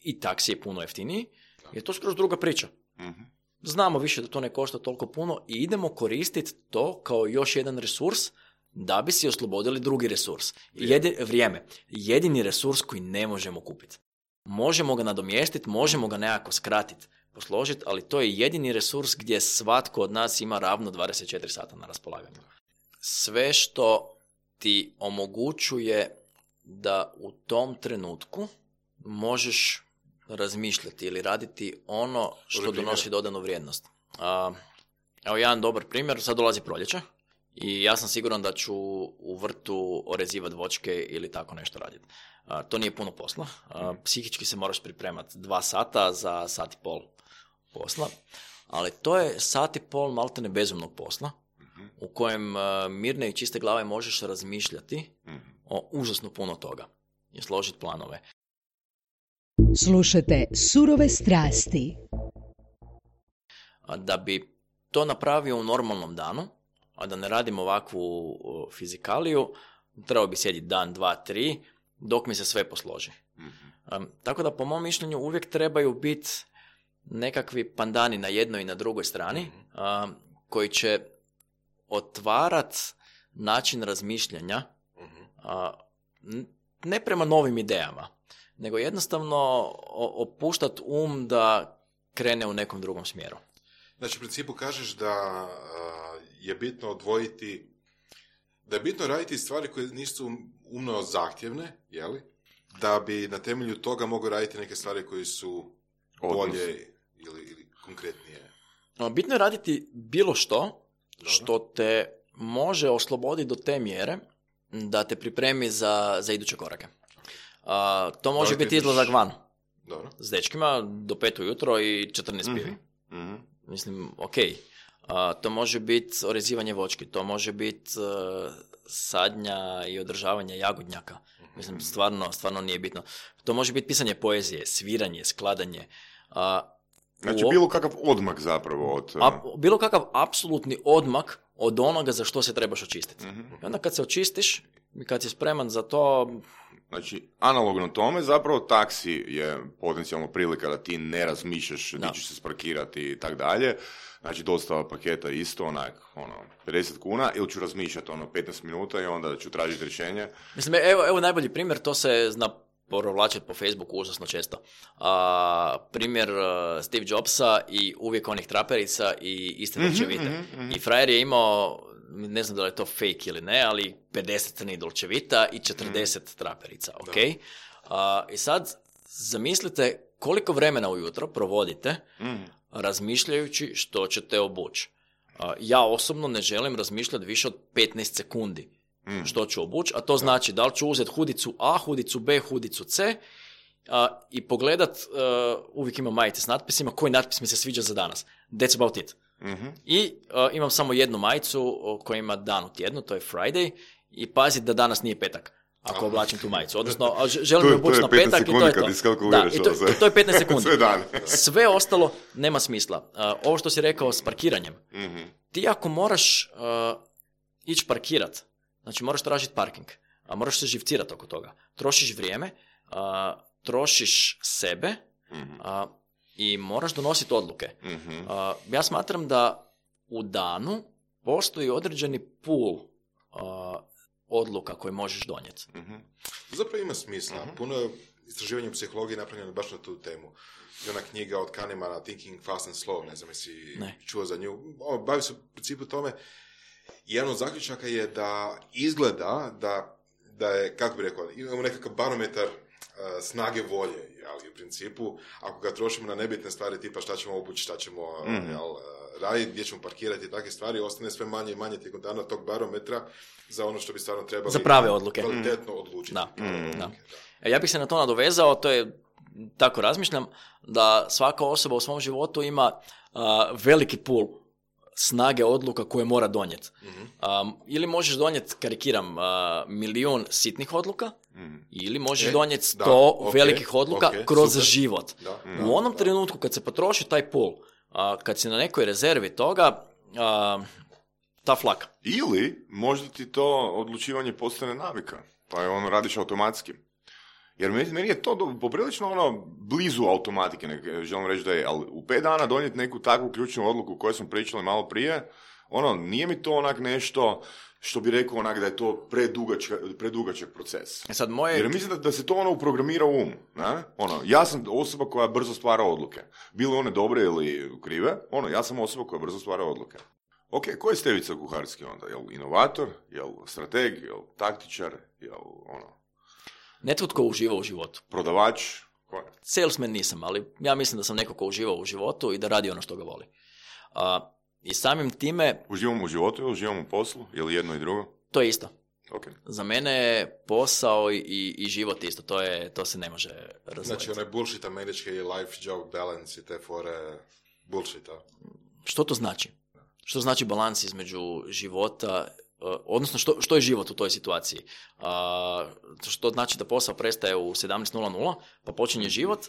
i taksi je puno jeftiniji, je to skroz druga priča. Znamo više da to ne košta toliko puno i idemo koristiti to kao još jedan resurs da bi si oslobodili drugi resurs. Vrijeme. Jedini resurs koji ne možemo kupiti. Možemo ga nadomjestiti, možemo ga nekako skratiti. posložiti, ali to je jedini resurs gdje svatko od nas ima ravno 24 sata na raspolaganju. Sve što ti omogućuje da u tom trenutku možeš razmišljati ili raditi ono što donosi dodanu vrijednost. Evo jedan dobar primjer, sad dolazi proljeće i ja sam siguran da ću u vrtu orezivati voćke ili tako nešto raditi. To nije puno posla. Psihički se moraš pripremati 2 sata za sat i pol posla, ali to je sat i pol maltene bezumnog posla u kojem mirne i čiste glave možeš razmišljati o užasno puno toga i složiti planove. Slušajte Surove strasti. Da bi to napravio u normalnom danu, a da ne radim ovakvu fizikaliju, trebao bi sjediti dan, 2, 3, dok mi se sve posloži. Tako da po mom mišljenju uvijek trebaju biti nekakvi pandani na jednoj i na drugoj strani koji će otvarat način razmišljanja ne prema novim idejama, nego jednostavno opuštat da krene u nekom drugom smjeru. Znači, u principu kažeš da je bitno odvojiti, da je bitno raditi stvari koje nisu umno zahtjevne, jeli? Da bi na temelju toga mogu raditi neke stvari koje su bolje ili konkretnije. Bitno je raditi bilo što te može osloboditi do te mjere da te pripremi za iduće korake. To može biti izlazak van. Dobro. S dečkima do 5 ujutro i 14 pivi. Mislim, ok. To može biti orezivanje voćki, to može biti sadnja i održavanje jagodnjaka. Mislim, stvarno nije bitno. To može biti pisanje poezije, sviranje, skladanje. Znači, bilo kakav odmak zapravo od... bilo kakav apsolutni odmak od onoga za što se trebaš očistiti. I onda kad se očistiš i kad si spreman za to... Znači, analogno tome, zapravo taksi je potencijalno prilika da ti ne razmišljaš di ćeš se sparkirati i tak dalje. Znači, dostava paketa isto, 50 kuna, ili ću razmišljati 15 minuta i onda ću tražiti rješenje. Mislim, evo najbolji primjer, to se zna provlačiti po Facebooku užasno često. Primjer Steve Jobsa i uvijek onih traperica i iste dolčevite. I frajer je imao, ne znam da li je to fake ili ne, ali 50 crnih dolčevita i 40 traperica, ok? I sad zamislite koliko vremena ujutro provodite razmišljajući što ćete obući. Ja osobno ne želim razmišljati više od 15 sekundi što ću obući, a to znači da li ću uzeti hudicu A, hudicu B, hudicu C i pogledat, uvijek imam majice s natpisima, koji natpis mi se sviđa za danas. That's about it. I imam samo jednu majicu koja ima dan u tjednu, to je Friday, i pazit da danas nije petak. Ako oblačim tu majicu. Odnosno, želim obući na petak i to je to. Da, i to je 15 sekundi. Sve ostalo nema smisla. Ovo što si rekao s parkiranjem. Ti ako moraš ići parkirat, znači moraš tražiti parking, a moraš se živcirati oko toga. Trošiš vrijeme, trošiš sebe i moraš donositi odluke. Ja smatram da u danu postoji određeni pool odluka koje možeš donijeti. Zapravo ima smisla. Puno istraživanja u psihologiji napravljeno baš na tu temu. I ona knjiga od Kahnemana, Thinking Fast and Slow, ne znam jesi čuo za nju. Bavi se u principu tome. Jedan od zaključaka je da izgleda da je, kako bi rekao, imamo nekakav barometar snage volje, ali u principu, ako ga trošimo na nebitne stvari, tipa šta ćemo obući, šta ćemo raditi, gdje ćemo parkirati i takve stvari, ostane sve manje i manje tijekom dana tog barometra za ono što bi stvarno trebali za prave odluke. Kvalitetno odlučiti. Da. Ja bih se na to nadovezao, to je, tako razmišljam, da svaka osoba u svom životu ima veliki pool snage odluka koje mora donijeti. Ili možeš donijeti, karikiram, 1.000.000 sitnih odluka, ili možeš donijeti 100 velikih odluka kroz super. Život. U onom trenutku kad se potroši taj pool, kad si na nekoj rezervi toga, tough luck. Ili možda ti to odlučivanje postane navika, pa je ono radiš automatski. Jer meni je to poprilično blizu automatike, želim reći da je, ali u 5 dana donijeti neku takvu ključnu odluku koju smo pričali malo prije, Nije mi to onak nešto što bi rekao onak da je to predugačak proces. Sad Jer mislim da se to uprogramira u um. Ja sam osoba koja brzo stvara odluke. Bile one dobre ili krive, ja sam osoba koja brzo stvara odluke. Ok, ko je Stevica Kuharski onda? Jel inovator? Jel strateg? Jel taktičar? Jel netko tko uživa u životu. Prodavač? Salesman nisam, ali ja mislim da sam neko ko uživa u životu i da radi ono što ga voli. I samim time... Uživamo u životu ili uživamo u poslu? Ili jedno i drugo? To je isto. Okay. Za mene je posao i život isto. To se ne može razvojiti. Znači, onaj bullshit američki life job balance i te fore bullshita. Što to znači? Što znači balans između života, odnosno što je život u toj situaciji? Što znači da posao prestaje u 17:00, pa počinje život,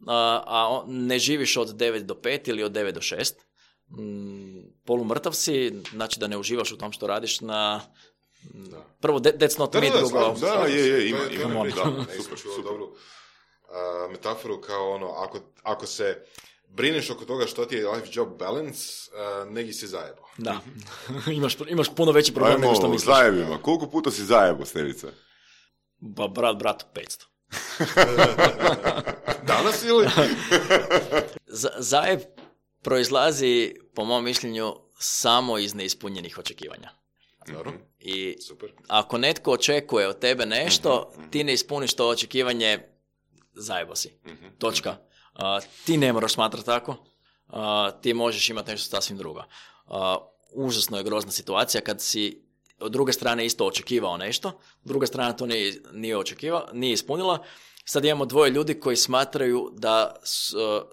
a ne živiš od 9 do 5 ili od 9 do 6. Polumrtav si, znači da ne uživaš u tom što radiš na... Prvo, that's not me, drugo... Ima super. Dobru metaforu kao ako se brineš oko toga što ti je life job balance, negi si zajebao. Da, imaš puno veći problem nego što misliš. Zajebima. Koliko puta si zajebao, Stevica? Ba, bratu, 500. Danas ili? Zajeb proizlazi, po mom mišljenju, samo iz neispunjenih očekivanja. Dobro. I super. Ako netko očekuje od tebe nešto, ti ne ispuniš to očekivanje, zajebo si. Točka. Ti ne moraš smatrati tako. Ti možeš imati nešto sasvim drugo. Užasno je grozna situacija kad si od druge strane isto očekivao nešto, druga strana to nije ispunila. Sad imamo dvoje ljudi koji smatraju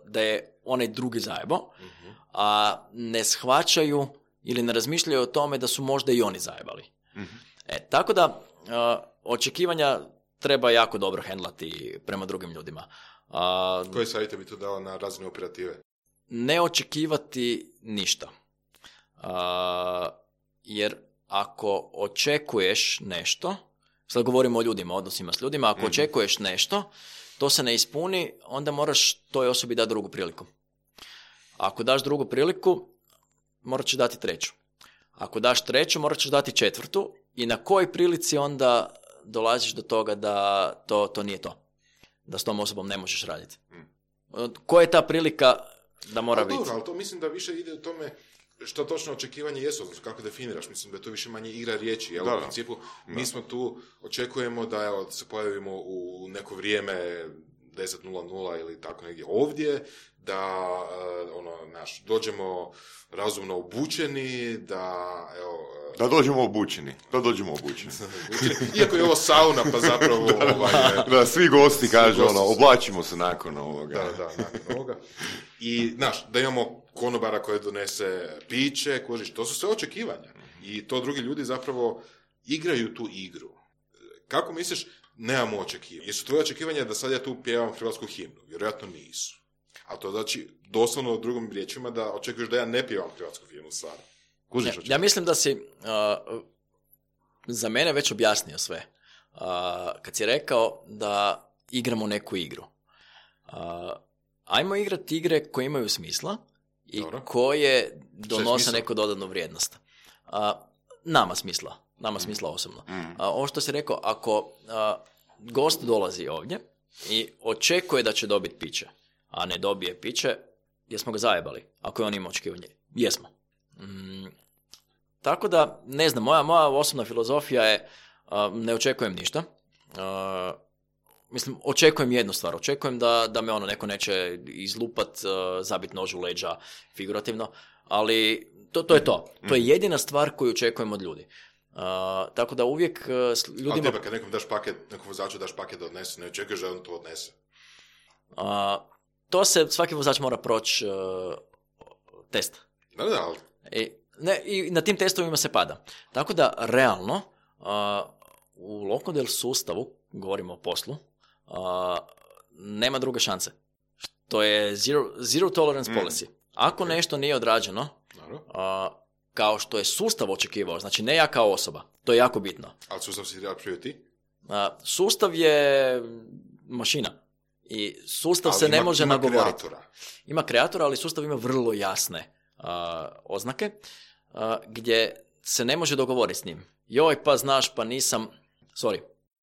da je onaj drugi zajebo, a ne shvaćaju ili ne razmišljaju o tome da su možda i oni zajebali. Tako da očekivanja treba jako dobro hendlati prema drugim ljudima. Koje savjete bi to dao na razini operative? Ne očekivati ništa. Jer ako očekuješ nešto, sad govorimo o ljudima, odnosima s ljudima, ako očekuješ nešto, to se ne ispuni, onda moraš toj osobi dati drugu priliku. Ako daš drugu priliku, morat ćeš dati treću. Ako daš treću, morat ćeš dati četvrtu i na kojoj prilici onda dolaziš do toga da to nije to. Da s tom osobom ne možeš raditi. Koja je ta prilika da mora biti? Ali to mislim da više ide u tome što točno očekivanje jesu, odnosno kako definiraš. Mislim da je to više manje igra riječi. Jel? U principu, mi smo tu, očekujemo da se pojavimo u neko vrijeme 10:00 ili tako negdje ovdje, da dođemo razumno obučeni, da dođemo obučeni. Iako je ovo sauna, pa zapravo... Da, svi gosti kažu, oblačimo se nakon ovoga. Da, nakon ovoga. I, da imamo konobara koji donese piće, to su sve očekivanja. I to drugi ljudi zapravo igraju tu igru. Kako misliš, nemamo očekivanja? Jesu tvoje očekivanja da sad ja tu pjevam hrvatsku himnu? Vjerojatno nisu. A to znači, doslovno drugim riječima, da očekuješ da ja ne pjevam hrvatsku himnu sad. Ja mislim da si za mene već objasnio sve. Kad si rekao da igramo neku igru. Ajmo igrati igre koje imaju smisla i dobro, koje donose neku dodatnu vrijednost. Nama smisla osobno. Ovo što si rekao, ako gost dolazi ovdje i očekuje da će dobiti piće, a ne dobije piće, jesmo ga zajebali, ako je on ima očekivanje. Jesmo. Tako da, ne znam, moja osobna filozofija je ne očekujem ništa. Očekujem jednu stvar. Očekujem da me neko neće izlupat, zabit nož u leđa, figurativno, ali to je to. To je jedina stvar koju očekujem od ljudi. Tako da uvijek s ljudima... Ali tebe kad nekom vozaču daš paket da odnese, ne očekuješ da on to odnese? To se, svaki vozač mora proći test. Da, ali... I na tim testovima se pada. Tako da, realno, u Locodel sustavu, govorimo o poslu, nema druge šanse. To je zero tolerance policy. Ako nešto nije odrađeno, kao što je sustav očekivao, znači ne ja kao osoba, to je jako bitno. Ali sustav si napravio ti? Sustav je mašina. I sustav se ne može nagovoriti. Ima kreatora, ali sustav ima vrlo jasne oznake. gdje se ne može dogovoriti s njim. Joj, pa znaš, pa nisam... Sorry.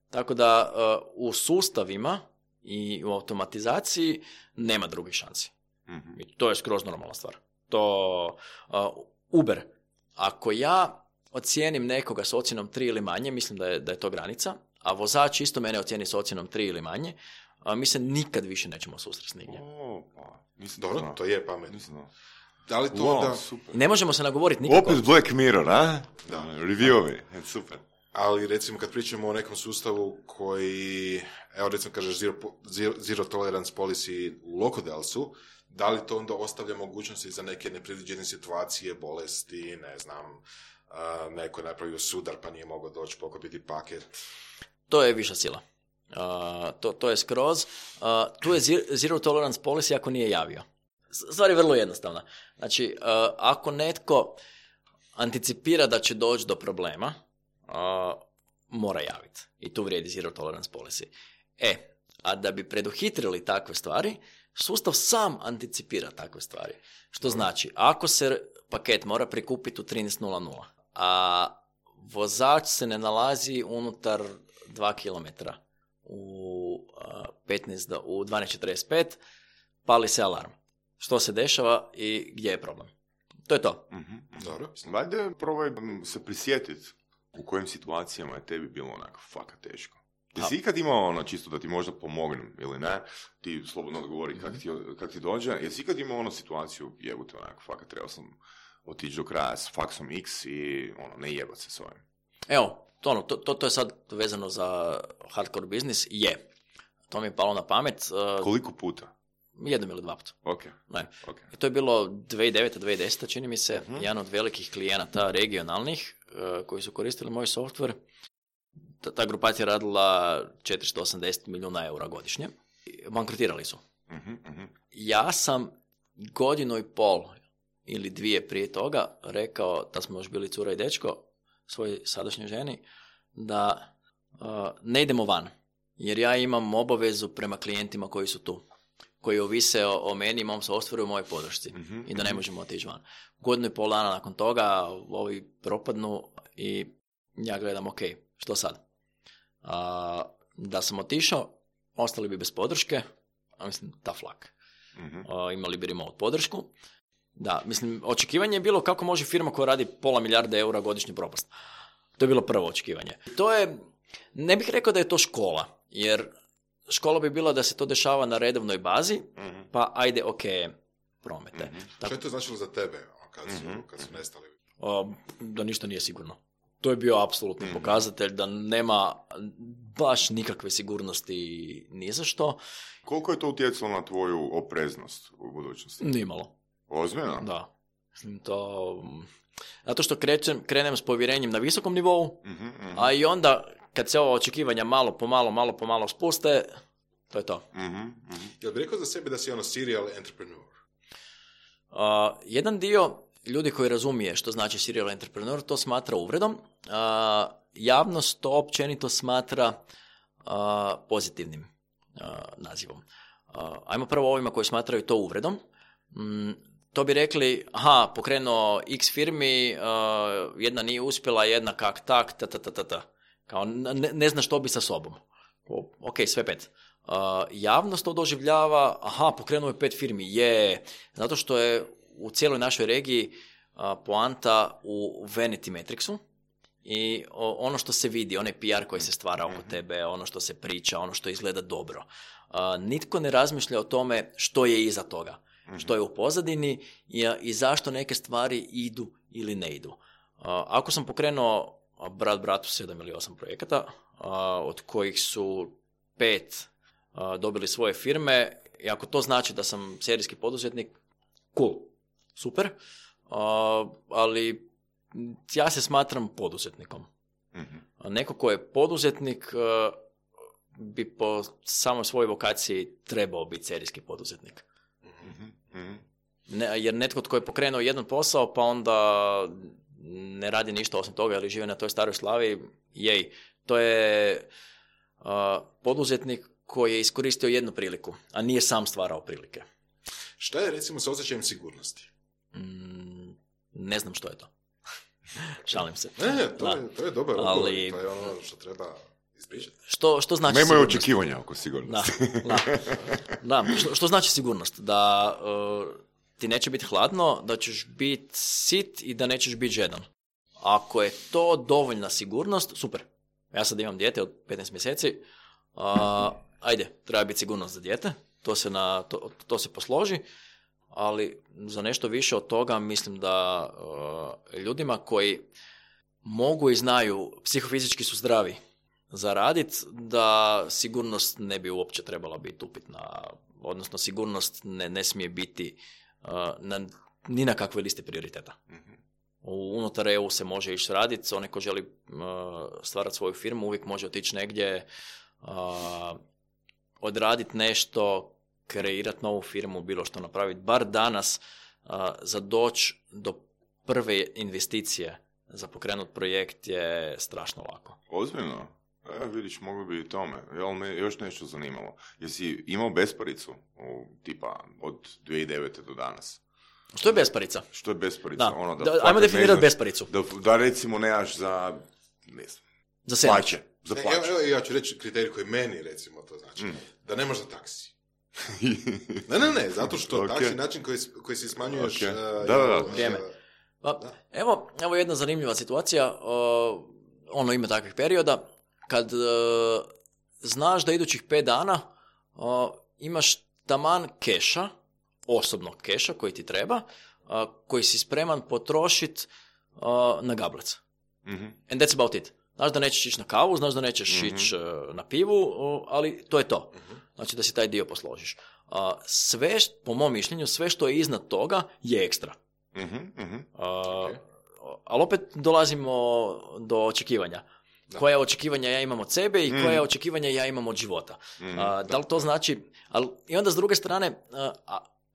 Tako da u sustavima i u automatizaciji nema drugih šansi. I to je skroz normalna stvar. To Uber. Ako ja ocijenim nekoga s ocjenom 3 ili manje, mislim da je to granica, a vozač isto mene ocijeni s ocjenom 3 ili manje, mi se nikad više nećemo susresti nigdje. Dobro, to je pametno. Da li to Wow, super. Ne možemo se nagovoriti nikako. Opet Black Mirror, a? Da. Review-ovi, super. Ali recimo kad pričamo o nekom sustavu koji, evo recimo kažeš zero tolerance policy u Locodilsu, da li to onda ostavlja mogućnosti za neke nepredviđene situacije, bolesti, ne znam, neko je napravio sudar pa nije mogao doći pokupiti paket? To je viša sila. To je skroz. Tu je zero tolerance policy ako nije javio. Stvar je vrlo jednostavna. Znači, ako netko anticipira da će doći do problema, mora javiti. I tu vrijedi zero tolerance policy. A da bi preduhitrili takve stvari, sustav sam anticipira takve stvari. Što znači, ako se paket mora prikupiti u 13.00, a vozač se ne nalazi unutar 2 km u 12.45, pali se alarm. Što se dešava i gdje je problem? To je to. Dobro. Valjda probaj se prisjetiti u kojim situacijama je tebi bilo onako faka teško. Jesi ikad imao čisto da ti možda pomognem ili ne, ti slobodno odgovori kak ti dođe, jesi ikad imao situaciju, jebute onako, faka trebao sam otići do kraja s faksom X i ne jebat se s ovim. Evo, to je sad vezano za hardcore biznis, je. To mi je palo na pamet. Koliko puta? 1 ili 2 puta. Okay. I to je bilo 2009-2010, čini mi se, jedan od velikih klijenata regionalnih koji su koristili moj software. Ta grupacija radila 480 milijuna eura godišnje. Bankrotirali su. Ja sam 1.5 godinu ili 2 prije toga rekao, da smo još bili cura i dečko, svojoj sadašnjoj ženi, da ne idemo van. Jer ja imam obavezu prema klijentima koji su tu, koji ovise o meni, mom softwareu, mojoj podršci. I da ne možemo otići van. 1.5 godinu dana nakon toga ovi propadnu i ja gledam, ok, što sad? Da sam otišao, ostali bi bez podrške, a mislim, tough luck. Imali bi remote podršku. Da, mislim, očekivanje je bilo kako može firma koja radi $500 milijarde eura godišnje propast. To je bilo prvo očekivanje. To je, ne bih rekao da je to škola, jer škola bi bila da se to dešava na redovnoj bazi, pa ajde, ok, promete. Što je to značilo za tebe kad su nestali? Da ništa nije sigurno. To je bio apsolutni pokazatelj da nema baš nikakve sigurnosti ni za što. Koliko je to utjecalo na tvoju opreznost u budućnosti? Nimalo. Ozbiljno? Da. Zato što krenem s povjerenjem na visokom nivou, a i onda kad se ova očekivanja malo po malo spuste, to je to. Jel bi rekao za sebe da si serial entrepreneur? Jedan dio ljudi koji razumije što znači serial entrepreneur to smatra uvredom. Javnost to općenito smatra pozitivnim nazivom. Ajmo prvo ovima koji smatraju to uvredom. To bi rekli, pokrenuo X firmi, jedna nije uspjela, jedna kak tak, kao ne zna što bi sa sobom. Ok, sve 5. Javnost to doživljava, pokrenuo je 5 firmi, zato što je u cijeloj našoj regiji poanta u vanity metricsu i ono što se vidi, onaj PR koji se stvara oko tebe, ono što se priča, ono što izgleda dobro. Nitko ne razmišlja o tome što je iza toga, što je u pozadini i zašto neke stvari idu ili ne idu. Ako sam pokrenuo bratu 7 ili 8 projekata, od kojih su 5 dobili svoje firme, i ako to znači da sam serijski poduzetnik, cool, super, ali ja se smatram poduzetnikom. Neko ko je poduzetnik bi po samoj svojoj vokaciji trebao biti serijski poduzetnik. Jer netko tko je pokrenuo jedan posao pa onda ne radi ništa osim toga ili žive na toj staroj slavi, to je poduzetnik koji je iskoristio jednu priliku, a nije sam stvarao prilike. Šta je recimo sa osjećajem sigurnosti? Ne znam što je to. Šalim se. To je dobar odgovor, ali, to je ono što treba ispričati. Što znači Nemaju sigurnost? očekivanja oko sigurnosti. Da. Što znači sigurnost? Da ti neće biti hladno, da ćeš biti sit i da nećeš biti žedan. Ako je to dovoljna sigurnost, super. Ja sad imam dijete od 15 mjeseci, ajde, treba biti sigurnost za dijete, to se posloži, ali za nešto više od toga mislim da ljudima koji mogu i znaju, psihofizički su zdravi za radit, da sigurnost ne bi uopće trebala biti upitna, odnosno sigurnost ne smije biti ni na kakvoj listi prioriteta. Unutar EU se može ići raditi, onaj ko želi stvarati svoju firmu uvijek može otići negdje, odraditi nešto, kreirati novu firmu, bilo što napraviti. Bar danas za doći do prve investicije za pokrenut projekt je strašno lako. Ozbiljno? Vidiš, mogu bi i tome. Jel me još nešto zanimalo? Jesi imao besparicu tipa od 2009. do danas? Što je besparica? Što je besparica? Ajmo definirati besparicu. Da recimo nemaš za, ne znam, za sandvič. plaće. Za plaće. Ja ću reći kriterij koji meni, recimo, to znači. Da nemaš za taksi. Ne, zato što taksi način koji si smanjuješ... Da. Vrijeme. Evo jedna zanimljiva situacija. Ima takvih perioda. Kad znaš da idućih 5 dana imaš taman keša, osobnog keša koji ti treba, koji si spreman potrošiti na gablec. And that's about it. Znaš da nećeš ići na kavu, znaš da nećeš ići na pivu, ali to je to. Znači da si taj dio posložiš. Sve, po mom mišljenju, sve što je iznad toga je ekstra. Ali opet dolazimo do očekivanja. Koje očekivanja ja imam od sebe i koje očekivanja ja imam od života. Da li to znači... I onda s druge strane,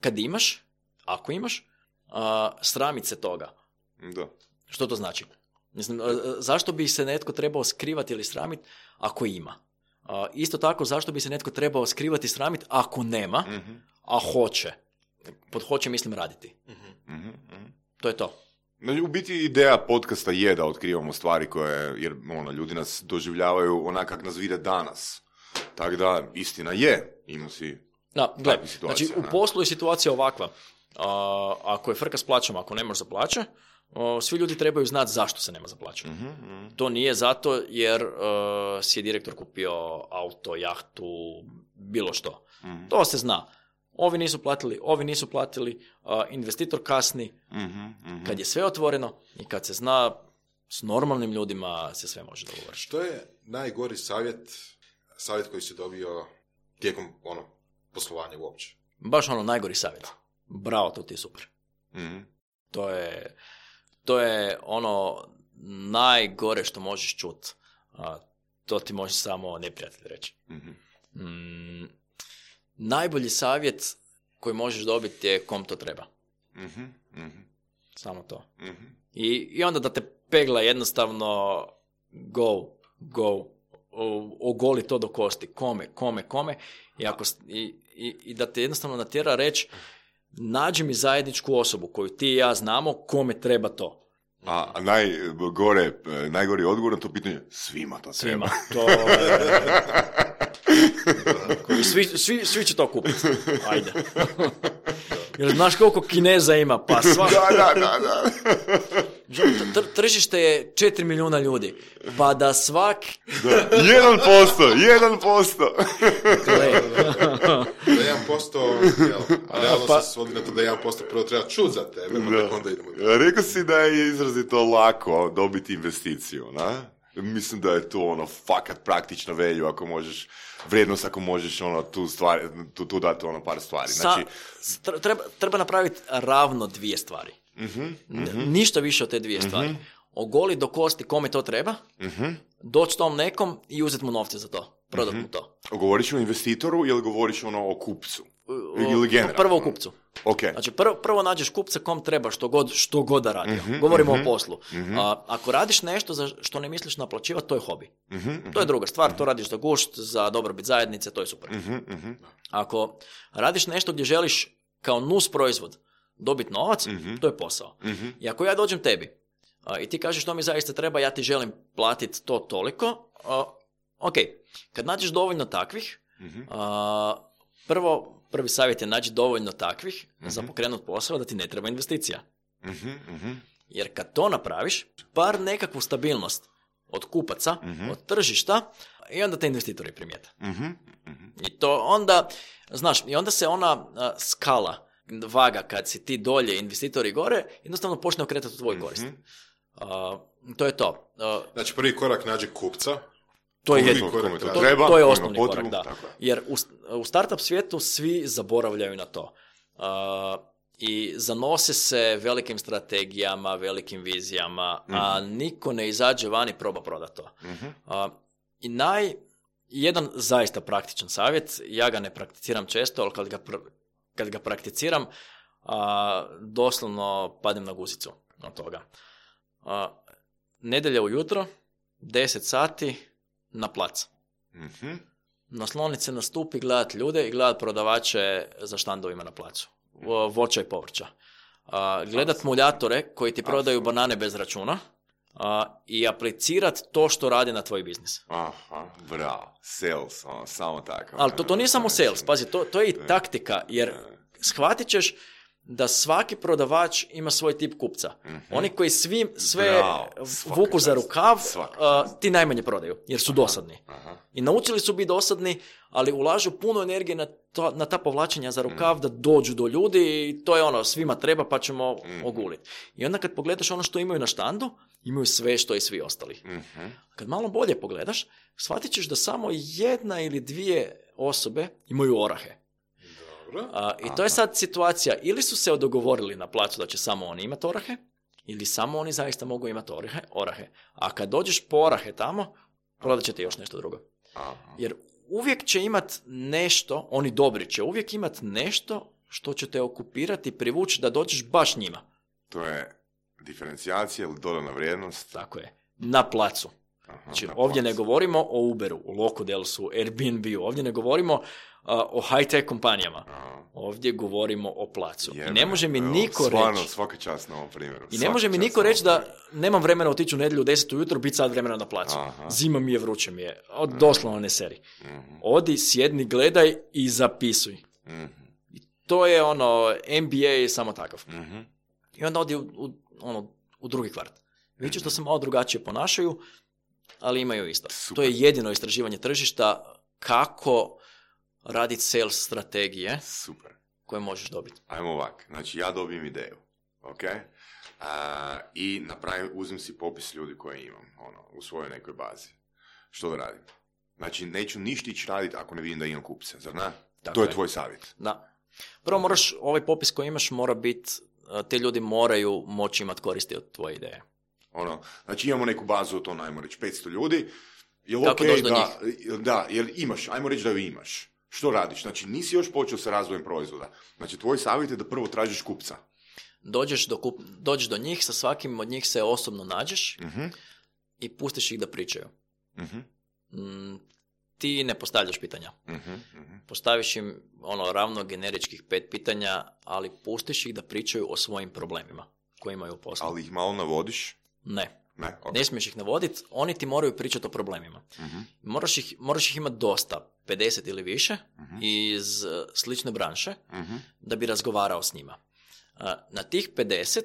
kad imaš, ako imaš, sramit se toga. Da. Što to znači? Mislim, zašto bi se netko trebao skrivati ili sramiti ako ima? Isto tako, zašto bi se netko trebao skrivati i sramiti ako nema, a hoće? Pod hoće mislim raditi. To je to. U biti ideja podcasta je da otkrivamo stvari koje, jer ljudi nas doživljavaju onak kak nas vide danas. Tako da, istina je, ima si takvih situacija. Znači, u poslu je situacija ovakva. Ako je frka s plaćama, ako nemaš za plaće, svi ljudi trebaju znati zašto se nema za plaću. To nije zato jer si je direktor kupio auto, jahtu, bilo što. To se zna. Ovi nisu platili, investitor kasni. Kad je sve otvoreno i kad se zna, s normalnim ljudima se sve može dogovoriti. Što je najgori savjet koji si dobio tijekom poslovanja uopće? Baš najgori savjet. Bravo, to ti je super. To je najgore što možeš čuti. To ti može samo neprijatelj reći. Najbolji savjet koji možeš dobiti je kom to treba. Samo to. I onda da te pegla jednostavno go, ogoli to do kosti. Kome. I da te jednostavno natjera reći nađi mi zajedničku osobu koju ti i ja znamo kome treba to. A najgori odgovor na to pitanje, svima to treba. Svi će to kupiti. Ajde. Jer znaš koliko Kineza ima, pa sva... Da. Tržište je 4 milijuna ljudi. Pa da svak... 1%. Da 1%, a realno se svodi na to da 1% prvo treba čuti za tebe, pa onda idemo. Rekao si da je izrazito lako dobiti investiciju, na? Mislim da je to fakat praktično velju ako možeš, vrijednost ako možeš tu dati par stvari. Znači... Treba napraviti ravno 2 stvari. Ništa više od te 2 stvari. Ogoli do kosti kome to treba, doći tom nekom i uzeti mu novce za to. Prodat mu to. Govoriš o investitoru ili govoriš o kupcu? Ili generalno? Prvo o kupcu. Okay. Znači, prvo nađeš kupca kom treba što god da radi. Govorimo o poslu. Ako radiš nešto za što ne misliš naplaćivati, to je hobi. To je druga stvar. To radiš za gušt, za dobrobit zajednice, to je super. Ako radiš nešto gdje želiš kao nus proizvod dobiti novac, to je posao. I ako ja dođem tebi I ti kažeš što mi zaista treba, ja ti želim platiti to toliko. Ok, kad nađeš dovoljno takvih, prvi savjet je naći dovoljno takvih za pokrenut posao da ti ne treba investicija. Jer kad to napraviš, bar nekakvu stabilnost od kupaca, od tržišta, i onda te investitori primijete. I to onda, znaš, i onda se ona skala, vaga kad si ti dolje, investitori gore, jednostavno počne okretati u tvoj korist. To je to. Znači prvi korak nađi kupca. To je to je osnovni korak, da. Jer u startup svijetu svi zaboravljaju na to. I zanose se velikim strategijama, velikim vizijama, a niko ne izađe van i proba prodati to. I jedan zaista praktičan savjet, ja ga ne prakticiram često, ali kad ga prakticiram, doslovno padem na guzicu od toga. Nedjelja ujutro, 10 sati, na plac. Naslonit se na stup i gledat ljude i gledat prodavače za štandovima na placu. Voća i povrća. Gledat muljatore koji ti prodaju banane bez računa i aplicirat to što radi na tvoj biznis. Aha, bravo. Sales, samo tako. Ali to nije samo sales, pazi, to je i taktika, jer shvatit ćeš da svaki prodavač ima svoj tip kupca. Oni koji sve vuku za rukav, ti najmanje prodaju, jer su dosadni. I naučili su biti dosadni, ali ulažu puno energije na ta povlačenja za rukav da dođu do ljudi i to je svima treba pa ćemo oguliti. I onda kad pogledaš ono što imaju na štandu, imaju sve što i svi ostali. Kad malo bolje pogledaš, shvatit ćeš da samo jedna ili dvije osobe imaju orahe. I to je sad situacija, ili su se dogovorili na placu da će samo oni imati orahe, ili samo oni zaista mogu imati orahe. A kad dođeš po orahe tamo, prodat će ti još nešto drugo. Jer uvijek će imat nešto, oni dobri će uvijek imat nešto što će te okupirati, privući da dođeš baš njima. To je diferencijacija ili dodana vrijednost. Tako je, na placu. Znači, ovdje ne govorimo o Uberu, o Locodelsu, Airbnb-u, ovdje ne govorimo o high-tech kompanijama. Ovdje govorimo o placu. I ne može mi niko reći... Svaka čast na ovom primjeru. I ne može mi niko reći da nemam vremena otići u nedjelju u 10 ujutro, biti sad vremena na placu. Zima mi je, vruće mi je. Doslovno ne seri. Odi, sjedni, gledaj i zapisuj. I to je MBA samo takav. I onda odi u drugi kvart. Vidiš da se malo drugačije ponašaju, ali imaju isto. Super. To je jedino istraživanje tržišta kako raditi sales strategije. Super. Koje možeš dobiti. Ajmo ovak, znači ja dobijem ideju, ok? I uzmem si popis ljudi koje imam, u svojoj nekoj bazi. Što da radim? Znači, neću ništa ići raditi ako ne vidim da imam kupce, zar ne? To je tvoj savjet. Da. Prvo moraš, ovaj popis koji imaš mora biti, te ljudi moraju moći imati koristi od tvoje ideje. Znači imamo neku bazu, to najmo reći 500 ljudi. Kako doći do njih? Da, jer imaš, ajmo reći da ju imaš. Što radiš? Znači, nisi još počeo sa razvojem proizvoda. Znači, tvoj savjet je da prvo tražiš kupca. Dođeš do njih, sa svakim od njih se osobno nađeš i pustiš ih da pričaju. Ti ne postavljaš pitanja. Postaviš im ravno generičkih 5 pitanja, ali pustiš ih da pričaju o svojim problemima koje imaju u poslu. Ali ih malo navodiš? Ne. Ne smiješ ih navoditi, oni ti moraju pričati o problemima. Moraš ih imati dosta, 50 ili više, iz slične branše, da bi razgovarao s njima. Na tih 50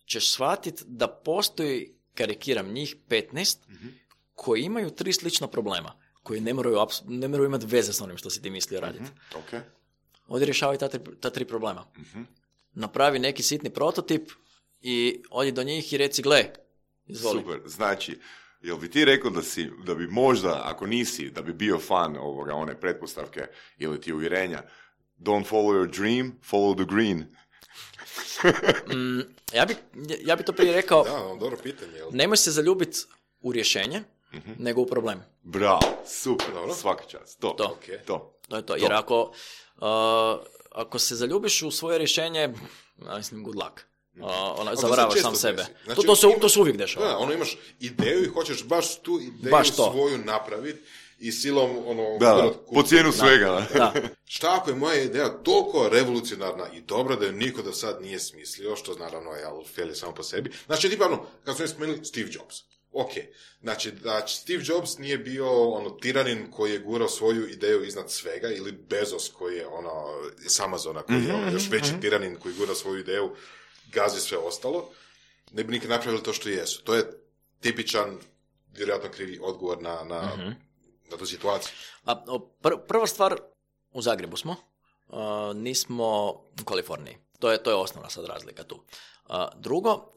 ćeš shvatiti da postoji, karikiram njih, 15 koji imaju 3 slična problema, koji ne moraju imati veze s onim što si ti mislio raditi. Okay. Ovdje rješavaj ta 3 problema. Napravi neki sitni prototip i odi do njih i reci, gle, izvoli. Super, znači, jel bi ti rekao da bi možda, ako nisi, da bi bio fan one pretpostavke ili ti uvjerenja, don't follow your dream, follow the green. Ja bi to prije rekao, da, dobro pitanje. Nemoj se zaljubiti u rješenje, nego u problem. Bravo, super, dobro. Svaka čast. To je to. Jer ako se zaljubiš u svoje rješenje, mislim, good luck. zavaravaš sam sebe. Znači, To se uvijek dešava. Da, imaš ideju i hoćeš baš tu ideju svoju napraviti i silom po cijenu svega. Da. Šta ako je moja ideja toliko revolucionarna i dobra da je niko do sad nije smislio, što naravno je fail je samo po sebi. Znači, tipa, kad smo spomenuli Steve Jobs. Ok, znači da Steve Jobs nije bio tiranin koji je gurao svoju ideju iznad svega, ili Bezos koji je iz Amazona koji je još veći tiranin koji gura svoju ideju, gazi sve ostalo, ne bi nikad napravili to što jesu. To je tipičan, vjerojatno krivi odgovor na tu situaciju. Prva stvar, u Zagrebu smo, nismo u Kaliforniji. To je osnovna sad razlika tu. Drugo,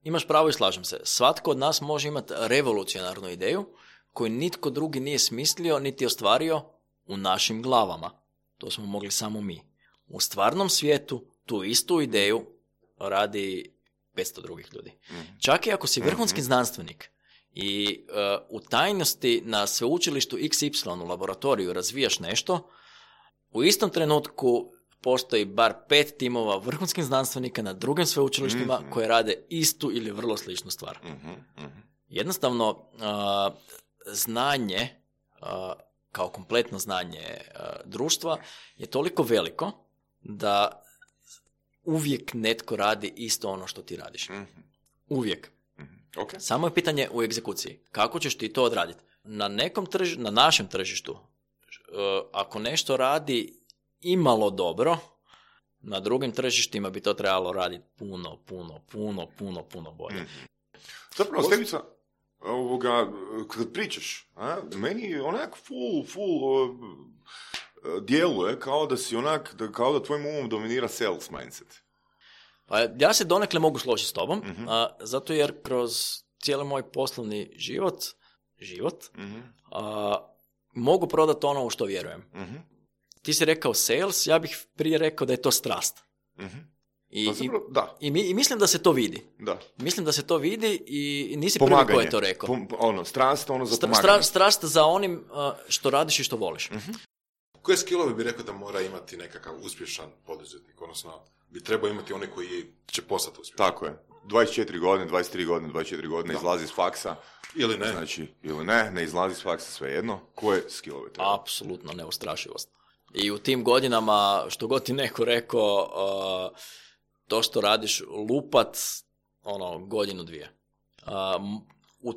imaš pravo i slažem se. Svatko od nas može imati revolucionarnu ideju koju nitko drugi nije smislio niti ostvario u našim glavama. To smo mogli samo mi. U stvarnom svijetu tu istu ideju radi 500 drugih ljudi. Čak i ako si vrhunski znanstvenik i u tajnosti na sveučilištu XY u laboratoriju razvijaš nešto, u istom trenutku postoji bar 5 timova vrhunskih znanstvenika na drugim sveučilištima koje rade istu ili vrlo sličnu stvar. Jednostavno, znanje, kao kompletno znanje društva, je toliko veliko da uvijek netko radi isto ono što ti radiš. Uvijek. Okay. Samo je pitanje u egzekuciji. Kako ćeš ti to odraditi? Na našem tržištu, ako nešto radi imalo dobro, na drugim tržištima bi to trebalo raditi puno bolje. Zapravo, Stevica, kad pričaš, meni onak full djeluje kao da si kao da tvojim umom dominira sales mindset. Pa ja se donekle mogu složiti s tobom, zato jer kroz cijeli moj poslovni život, mogu prodati ono u što vjerujem. Ti si rekao sales, ja bih prije rekao da je to strast. I mislim da se to vidi. Da. Mislim da se to vidi i nisi pomaganje. Prvi ko je to rekao. Strast za pomaganje. Strast za onim što radiš i što voliš. Koje skillove bi rekao da mora imati nekakav uspješan poduzetnik? Odnosno, bi trebao imati one koji će postati uspješan. Tako je. 24 godine, 24 godine izlazi iz faksa. Ili ne. Znači, ili ne izlazi iz faksa, svejedno. Koje skillove treba? Apsolutno neustrašivost. I u tim godinama, što god ti neko rekao, to što radiš lupat, godinu, dvije.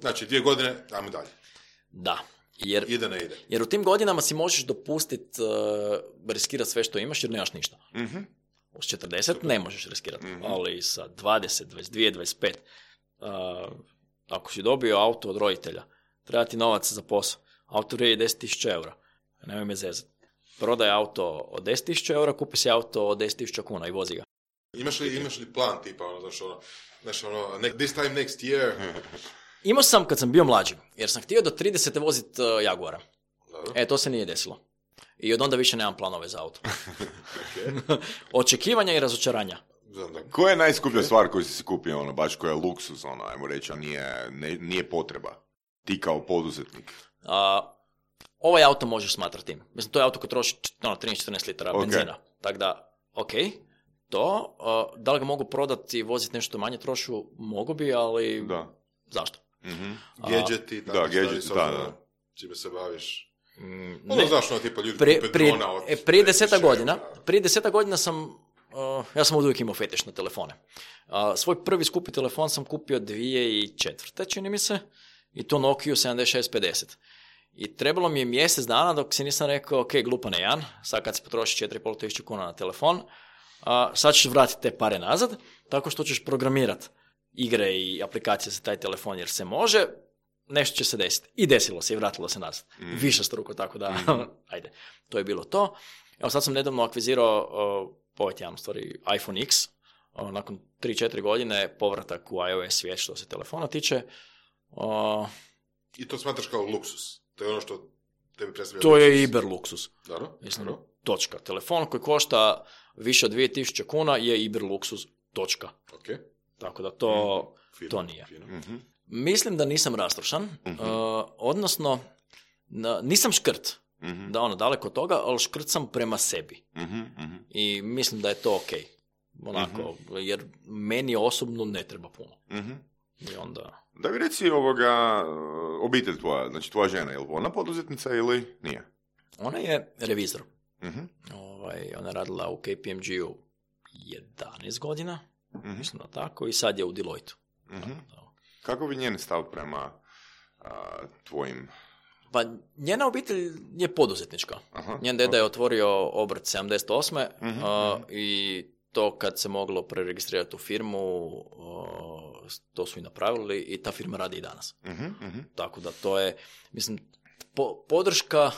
Znači, 2 godine, ajmo dalje. Da. Ide. Jer u tim godinama si možeš dopustiti riskirati sve što imaš jer nemaš ništa. Uz 40 ne možeš riskirati, ali sa 20, 22, 25, ako si dobio auto od roditelja, treba ti novac za posao. Auto vrijedi 10.000 eura. Nemoj me zezati. Prodaj auto od 10.000 eura, kupi si auto od 10.000 kuna i vozi ga. Imaš li plan tipa, this time next year? Imao sam kad sam bio mlađi, jer sam htio do 30. voziti Jaguara. Dobro. To se nije desilo. I od onda više nemam planove za auto. Očekivanja i razočaranja. Koja je najskuplja stvar koju si kupio, baš koja je luksuz, ajmo reći, a nije potreba? Ti kao poduzetnik. Ovaj auto možeš smatrati tim. Mislim, to je auto koji troši 13-14 litara benzina. Tako da, to, da li ga mogu prodati i voziti nešto manje trošu, mogu bi, ali zašto? Gadgeti, čime se baviš. Znaš, tipa ljudi kupe drona od... Prije 10 godina sam, ja sam uvijek imao fetiš na telefone. Svoj prvi skupi telefon sam kupio 2004. čini mi se, i to Nokia 7650. I trebalo mi je mjesec dana dok si nisam rekao, glupane Jan, sad kad si potroši 4.500 kuna na telefon, sad ćeš vratiti te pare nazad, tako što ćeš programirati igre i aplikacije za taj telefon jer se može, nešto će se desiti. I desilo se i vratilo se nazad. Višestruko, tako da, ajde, to je bilo to. Evo sad sam nedavno akvizirao iPhone X, nakon 3-4 godine povratak u iOS svijet što se telefona tiče. I to smatraš kao luksus? To je ono što tebi predstavlja to luksus? Je iber luksus. Mislim, točka. Telefon koji košta više od 2000 kuna je iber luksus. Točka. Okay. Tako da to nije. Mislim da nisam rastrošan, odnosno nisam škrt, da daleko od toga, ali škrt sam prema sebi. I mislim da je to ok. onako, jer meni osobno ne treba puno. I onda... Da mi reci obitelj tvoja, znači tvoja žena, je li ona poduzetnica ili nije? Ona je revizor. Ona je radila u KPMG-u 11 godina, mislim da tako, i sad je u Deloitu. Kako bi njen stav prema tvojim... Pa njena obitelj je poduzetnička. Njen deda je otvorio obrt 78. I to kad se moglo preregistrirati u firmu, to su i napravili i ta firma radi i danas. Tako da to je, mislim, podrška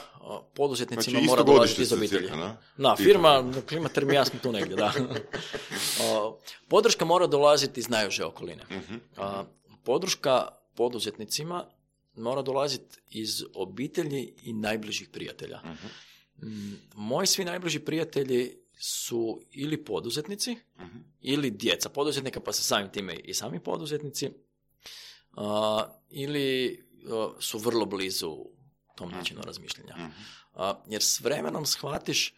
poduzetnicima znači, mora dolaziti iz obitelji. Cirka, da, firma, Klimater mi jasno tu negdje, da. Podrška mora dolaziti iz najuže okoline. Podrška poduzetnicima mora dolaziti iz obitelji i najbližih prijatelja. Moji svi najbliži prijatelji su ili poduzetnici, ili djeca poduzetnika, pa se samim time i sami poduzetnici, ili su vrlo blizu tom načinu razmišljanja. Jer s vremenom shvatiš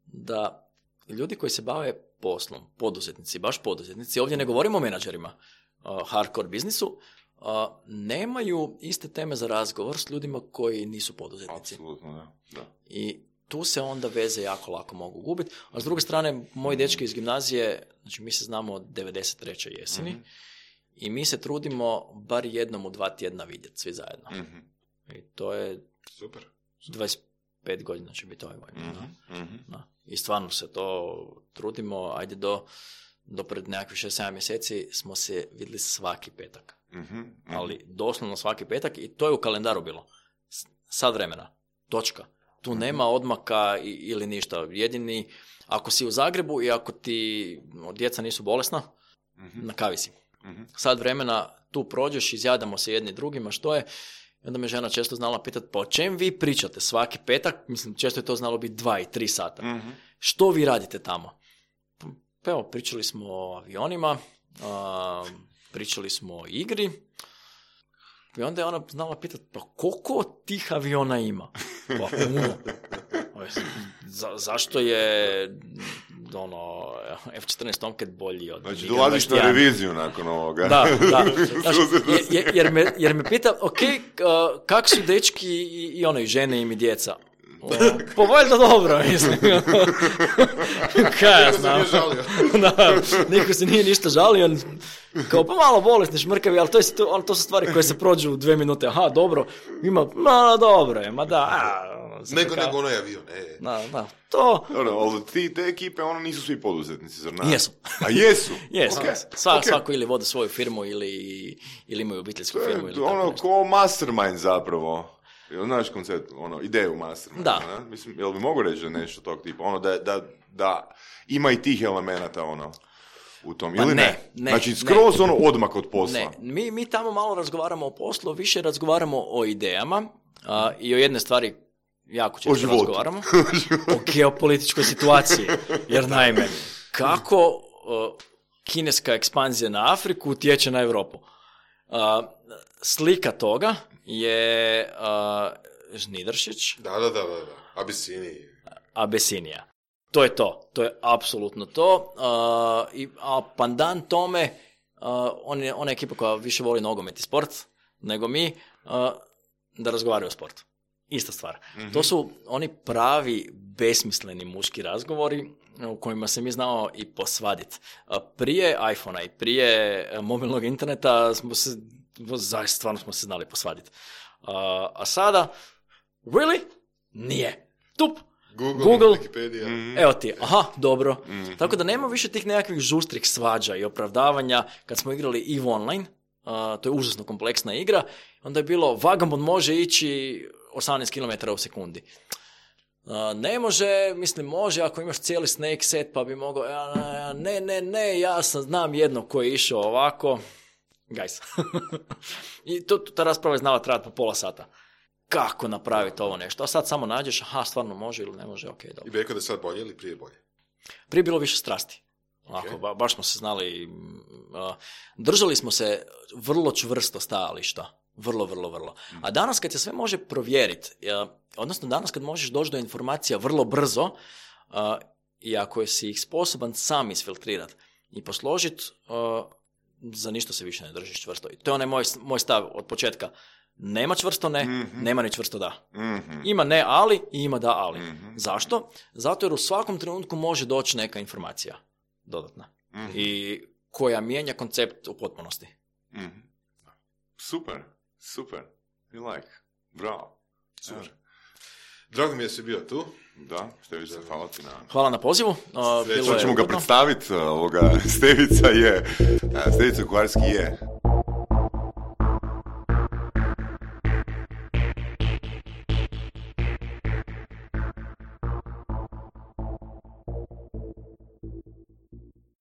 da ljudi koji se bave poslom, poduzetnici, baš poduzetnici, ovdje ne govorimo o menadžerima, hardcore biznisu, nemaju iste teme za razgovor s ljudima koji nisu poduzetnici. Apsolutno, da. I tu se onda veze jako lako mogu gubiti. A s druge strane, moji dečki iz gimnazije, znači mi se znamo od 93. jeseni i mi se trudimo bar jednom u 2 tjedna vidjeti svi zajedno. I to je super. 25 godina će biti ovaj godin. I stvarno se to trudimo. Ajde do pred nekakvih 6-7 mjeseci smo se vidjeli svaki petak. Ali doslovno svaki petak i to je u kalendaru bilo. Sad vremena. Točka. Tu nema odmaka ili ništa. Jedini, ako si u Zagrebu i ako ti djeca nisu bolesna, na kavi si. Sad vremena tu prođeš, izjadamo se jedni drugima, što je. I onda me žena često znala pitati, pa o čem vi pričate svaki petak? Mislim, često je to znalo biti 2 i 3 sata. Što vi radite tamo? Pa evo, pričali smo o avionima, pričali smo o igri. I onda je ona znala pitati, pa koliko tih aviona ima? Pa puno. Zašto je F-14 Tomcat bolji od... Znači, dolaziš na reviziju nakon ovoga. Da. Jer me pita, ok, kak su dečki i žene im i djeca? Pa valjda dobro, mislim. Kaj ja znam. Niko se nije ništa žalio. Kao, pa malo bolesni, šmrkavi, ali to su stvari koje se prođu u 2 minute. Aha, dobro, ima, dobro je, ma da. Nego onaj avion, Da, to... Dobro, ali te ekipe, nisu svi poduzetnici, zar ne? Jesu. A jesu? Jesu. Svako ili vode svoju firmu ili imaju obiteljsku firmu. Ili tako nešto. Ko mastermind zapravo. Znaš koncept, ideju mastermind. Da. Ne? Mislim, jel bi mogu reći da nešto tog tipa? Da ima i tih elemenata, u tom, ili ne? Znači, skroz odmak od posla. Ne, mi tamo malo razgovaramo o poslu, više razgovaramo o idejama i o jedne stvari jako često razgovaramo. O geopolitičkoj situaciji. Jer naime, kako kineska ekspanzija na Afriku utječe na Europu? Slika toga je Žnidaršić. Da. Abesinija. To je to. To je apsolutno to. A pandan tome, ona ekipa koja više voli nogomet i sport nego mi, da razgovaraju o sportu. Ista stvar. To su oni pravi besmisleni muški razgovori u kojima se mi znamo i posvaditi. Prije iPhonea i prije mobilnog interneta stvarno smo se znali posvaditi. A sada, really? Nije. Tup. Google, Wikipedia. Evo ti, aha, dobro. Tako da nema više tih nekakvih žustrih svađa i opravdavanja. Kad smo igrali EVE Online, to je užasno kompleksna igra, onda je bilo Vagabond može ići 18 km u sekundi. Ne može, može ako imaš cijeli snake set pa bi mogao, ne, ja znam jedno koji je išao ovako. Guys. I ta rasprava je znala trajati po pola sata. Kako napraviti ovo nešto? A sad samo nađeš, aha, stvarno može ili ne može, ok, dobro. I bi rekao da je sad bolje ili prije bolje? Prije bilo više strasti. Okay. Baš smo se znali, držali smo se vrlo čvrsto stajališta. Vrlo. A danas kad se sve može provjeriti, odnosno danas kad možeš doći do informacija vrlo brzo, i ako si ih sposoban sam isfiltrirati i posložiti, za ništa se više ne držiš čvrsto. I to je onaj moj stav od početka. Nema čvrsto ne, nema ni čvrsto da. Ima ne ali i ima da ali. Zašto? Zato jer u svakom trenutku može doći neka informacija dodatna i koja mijenja koncept u potpunosti. Super. You like. Bravo. Super. Drago mi je si bio tu. Da, Stevica, hvala ti na... Hvala na pozivu. Ćemo ga predstaviti, Stevica Kuharski je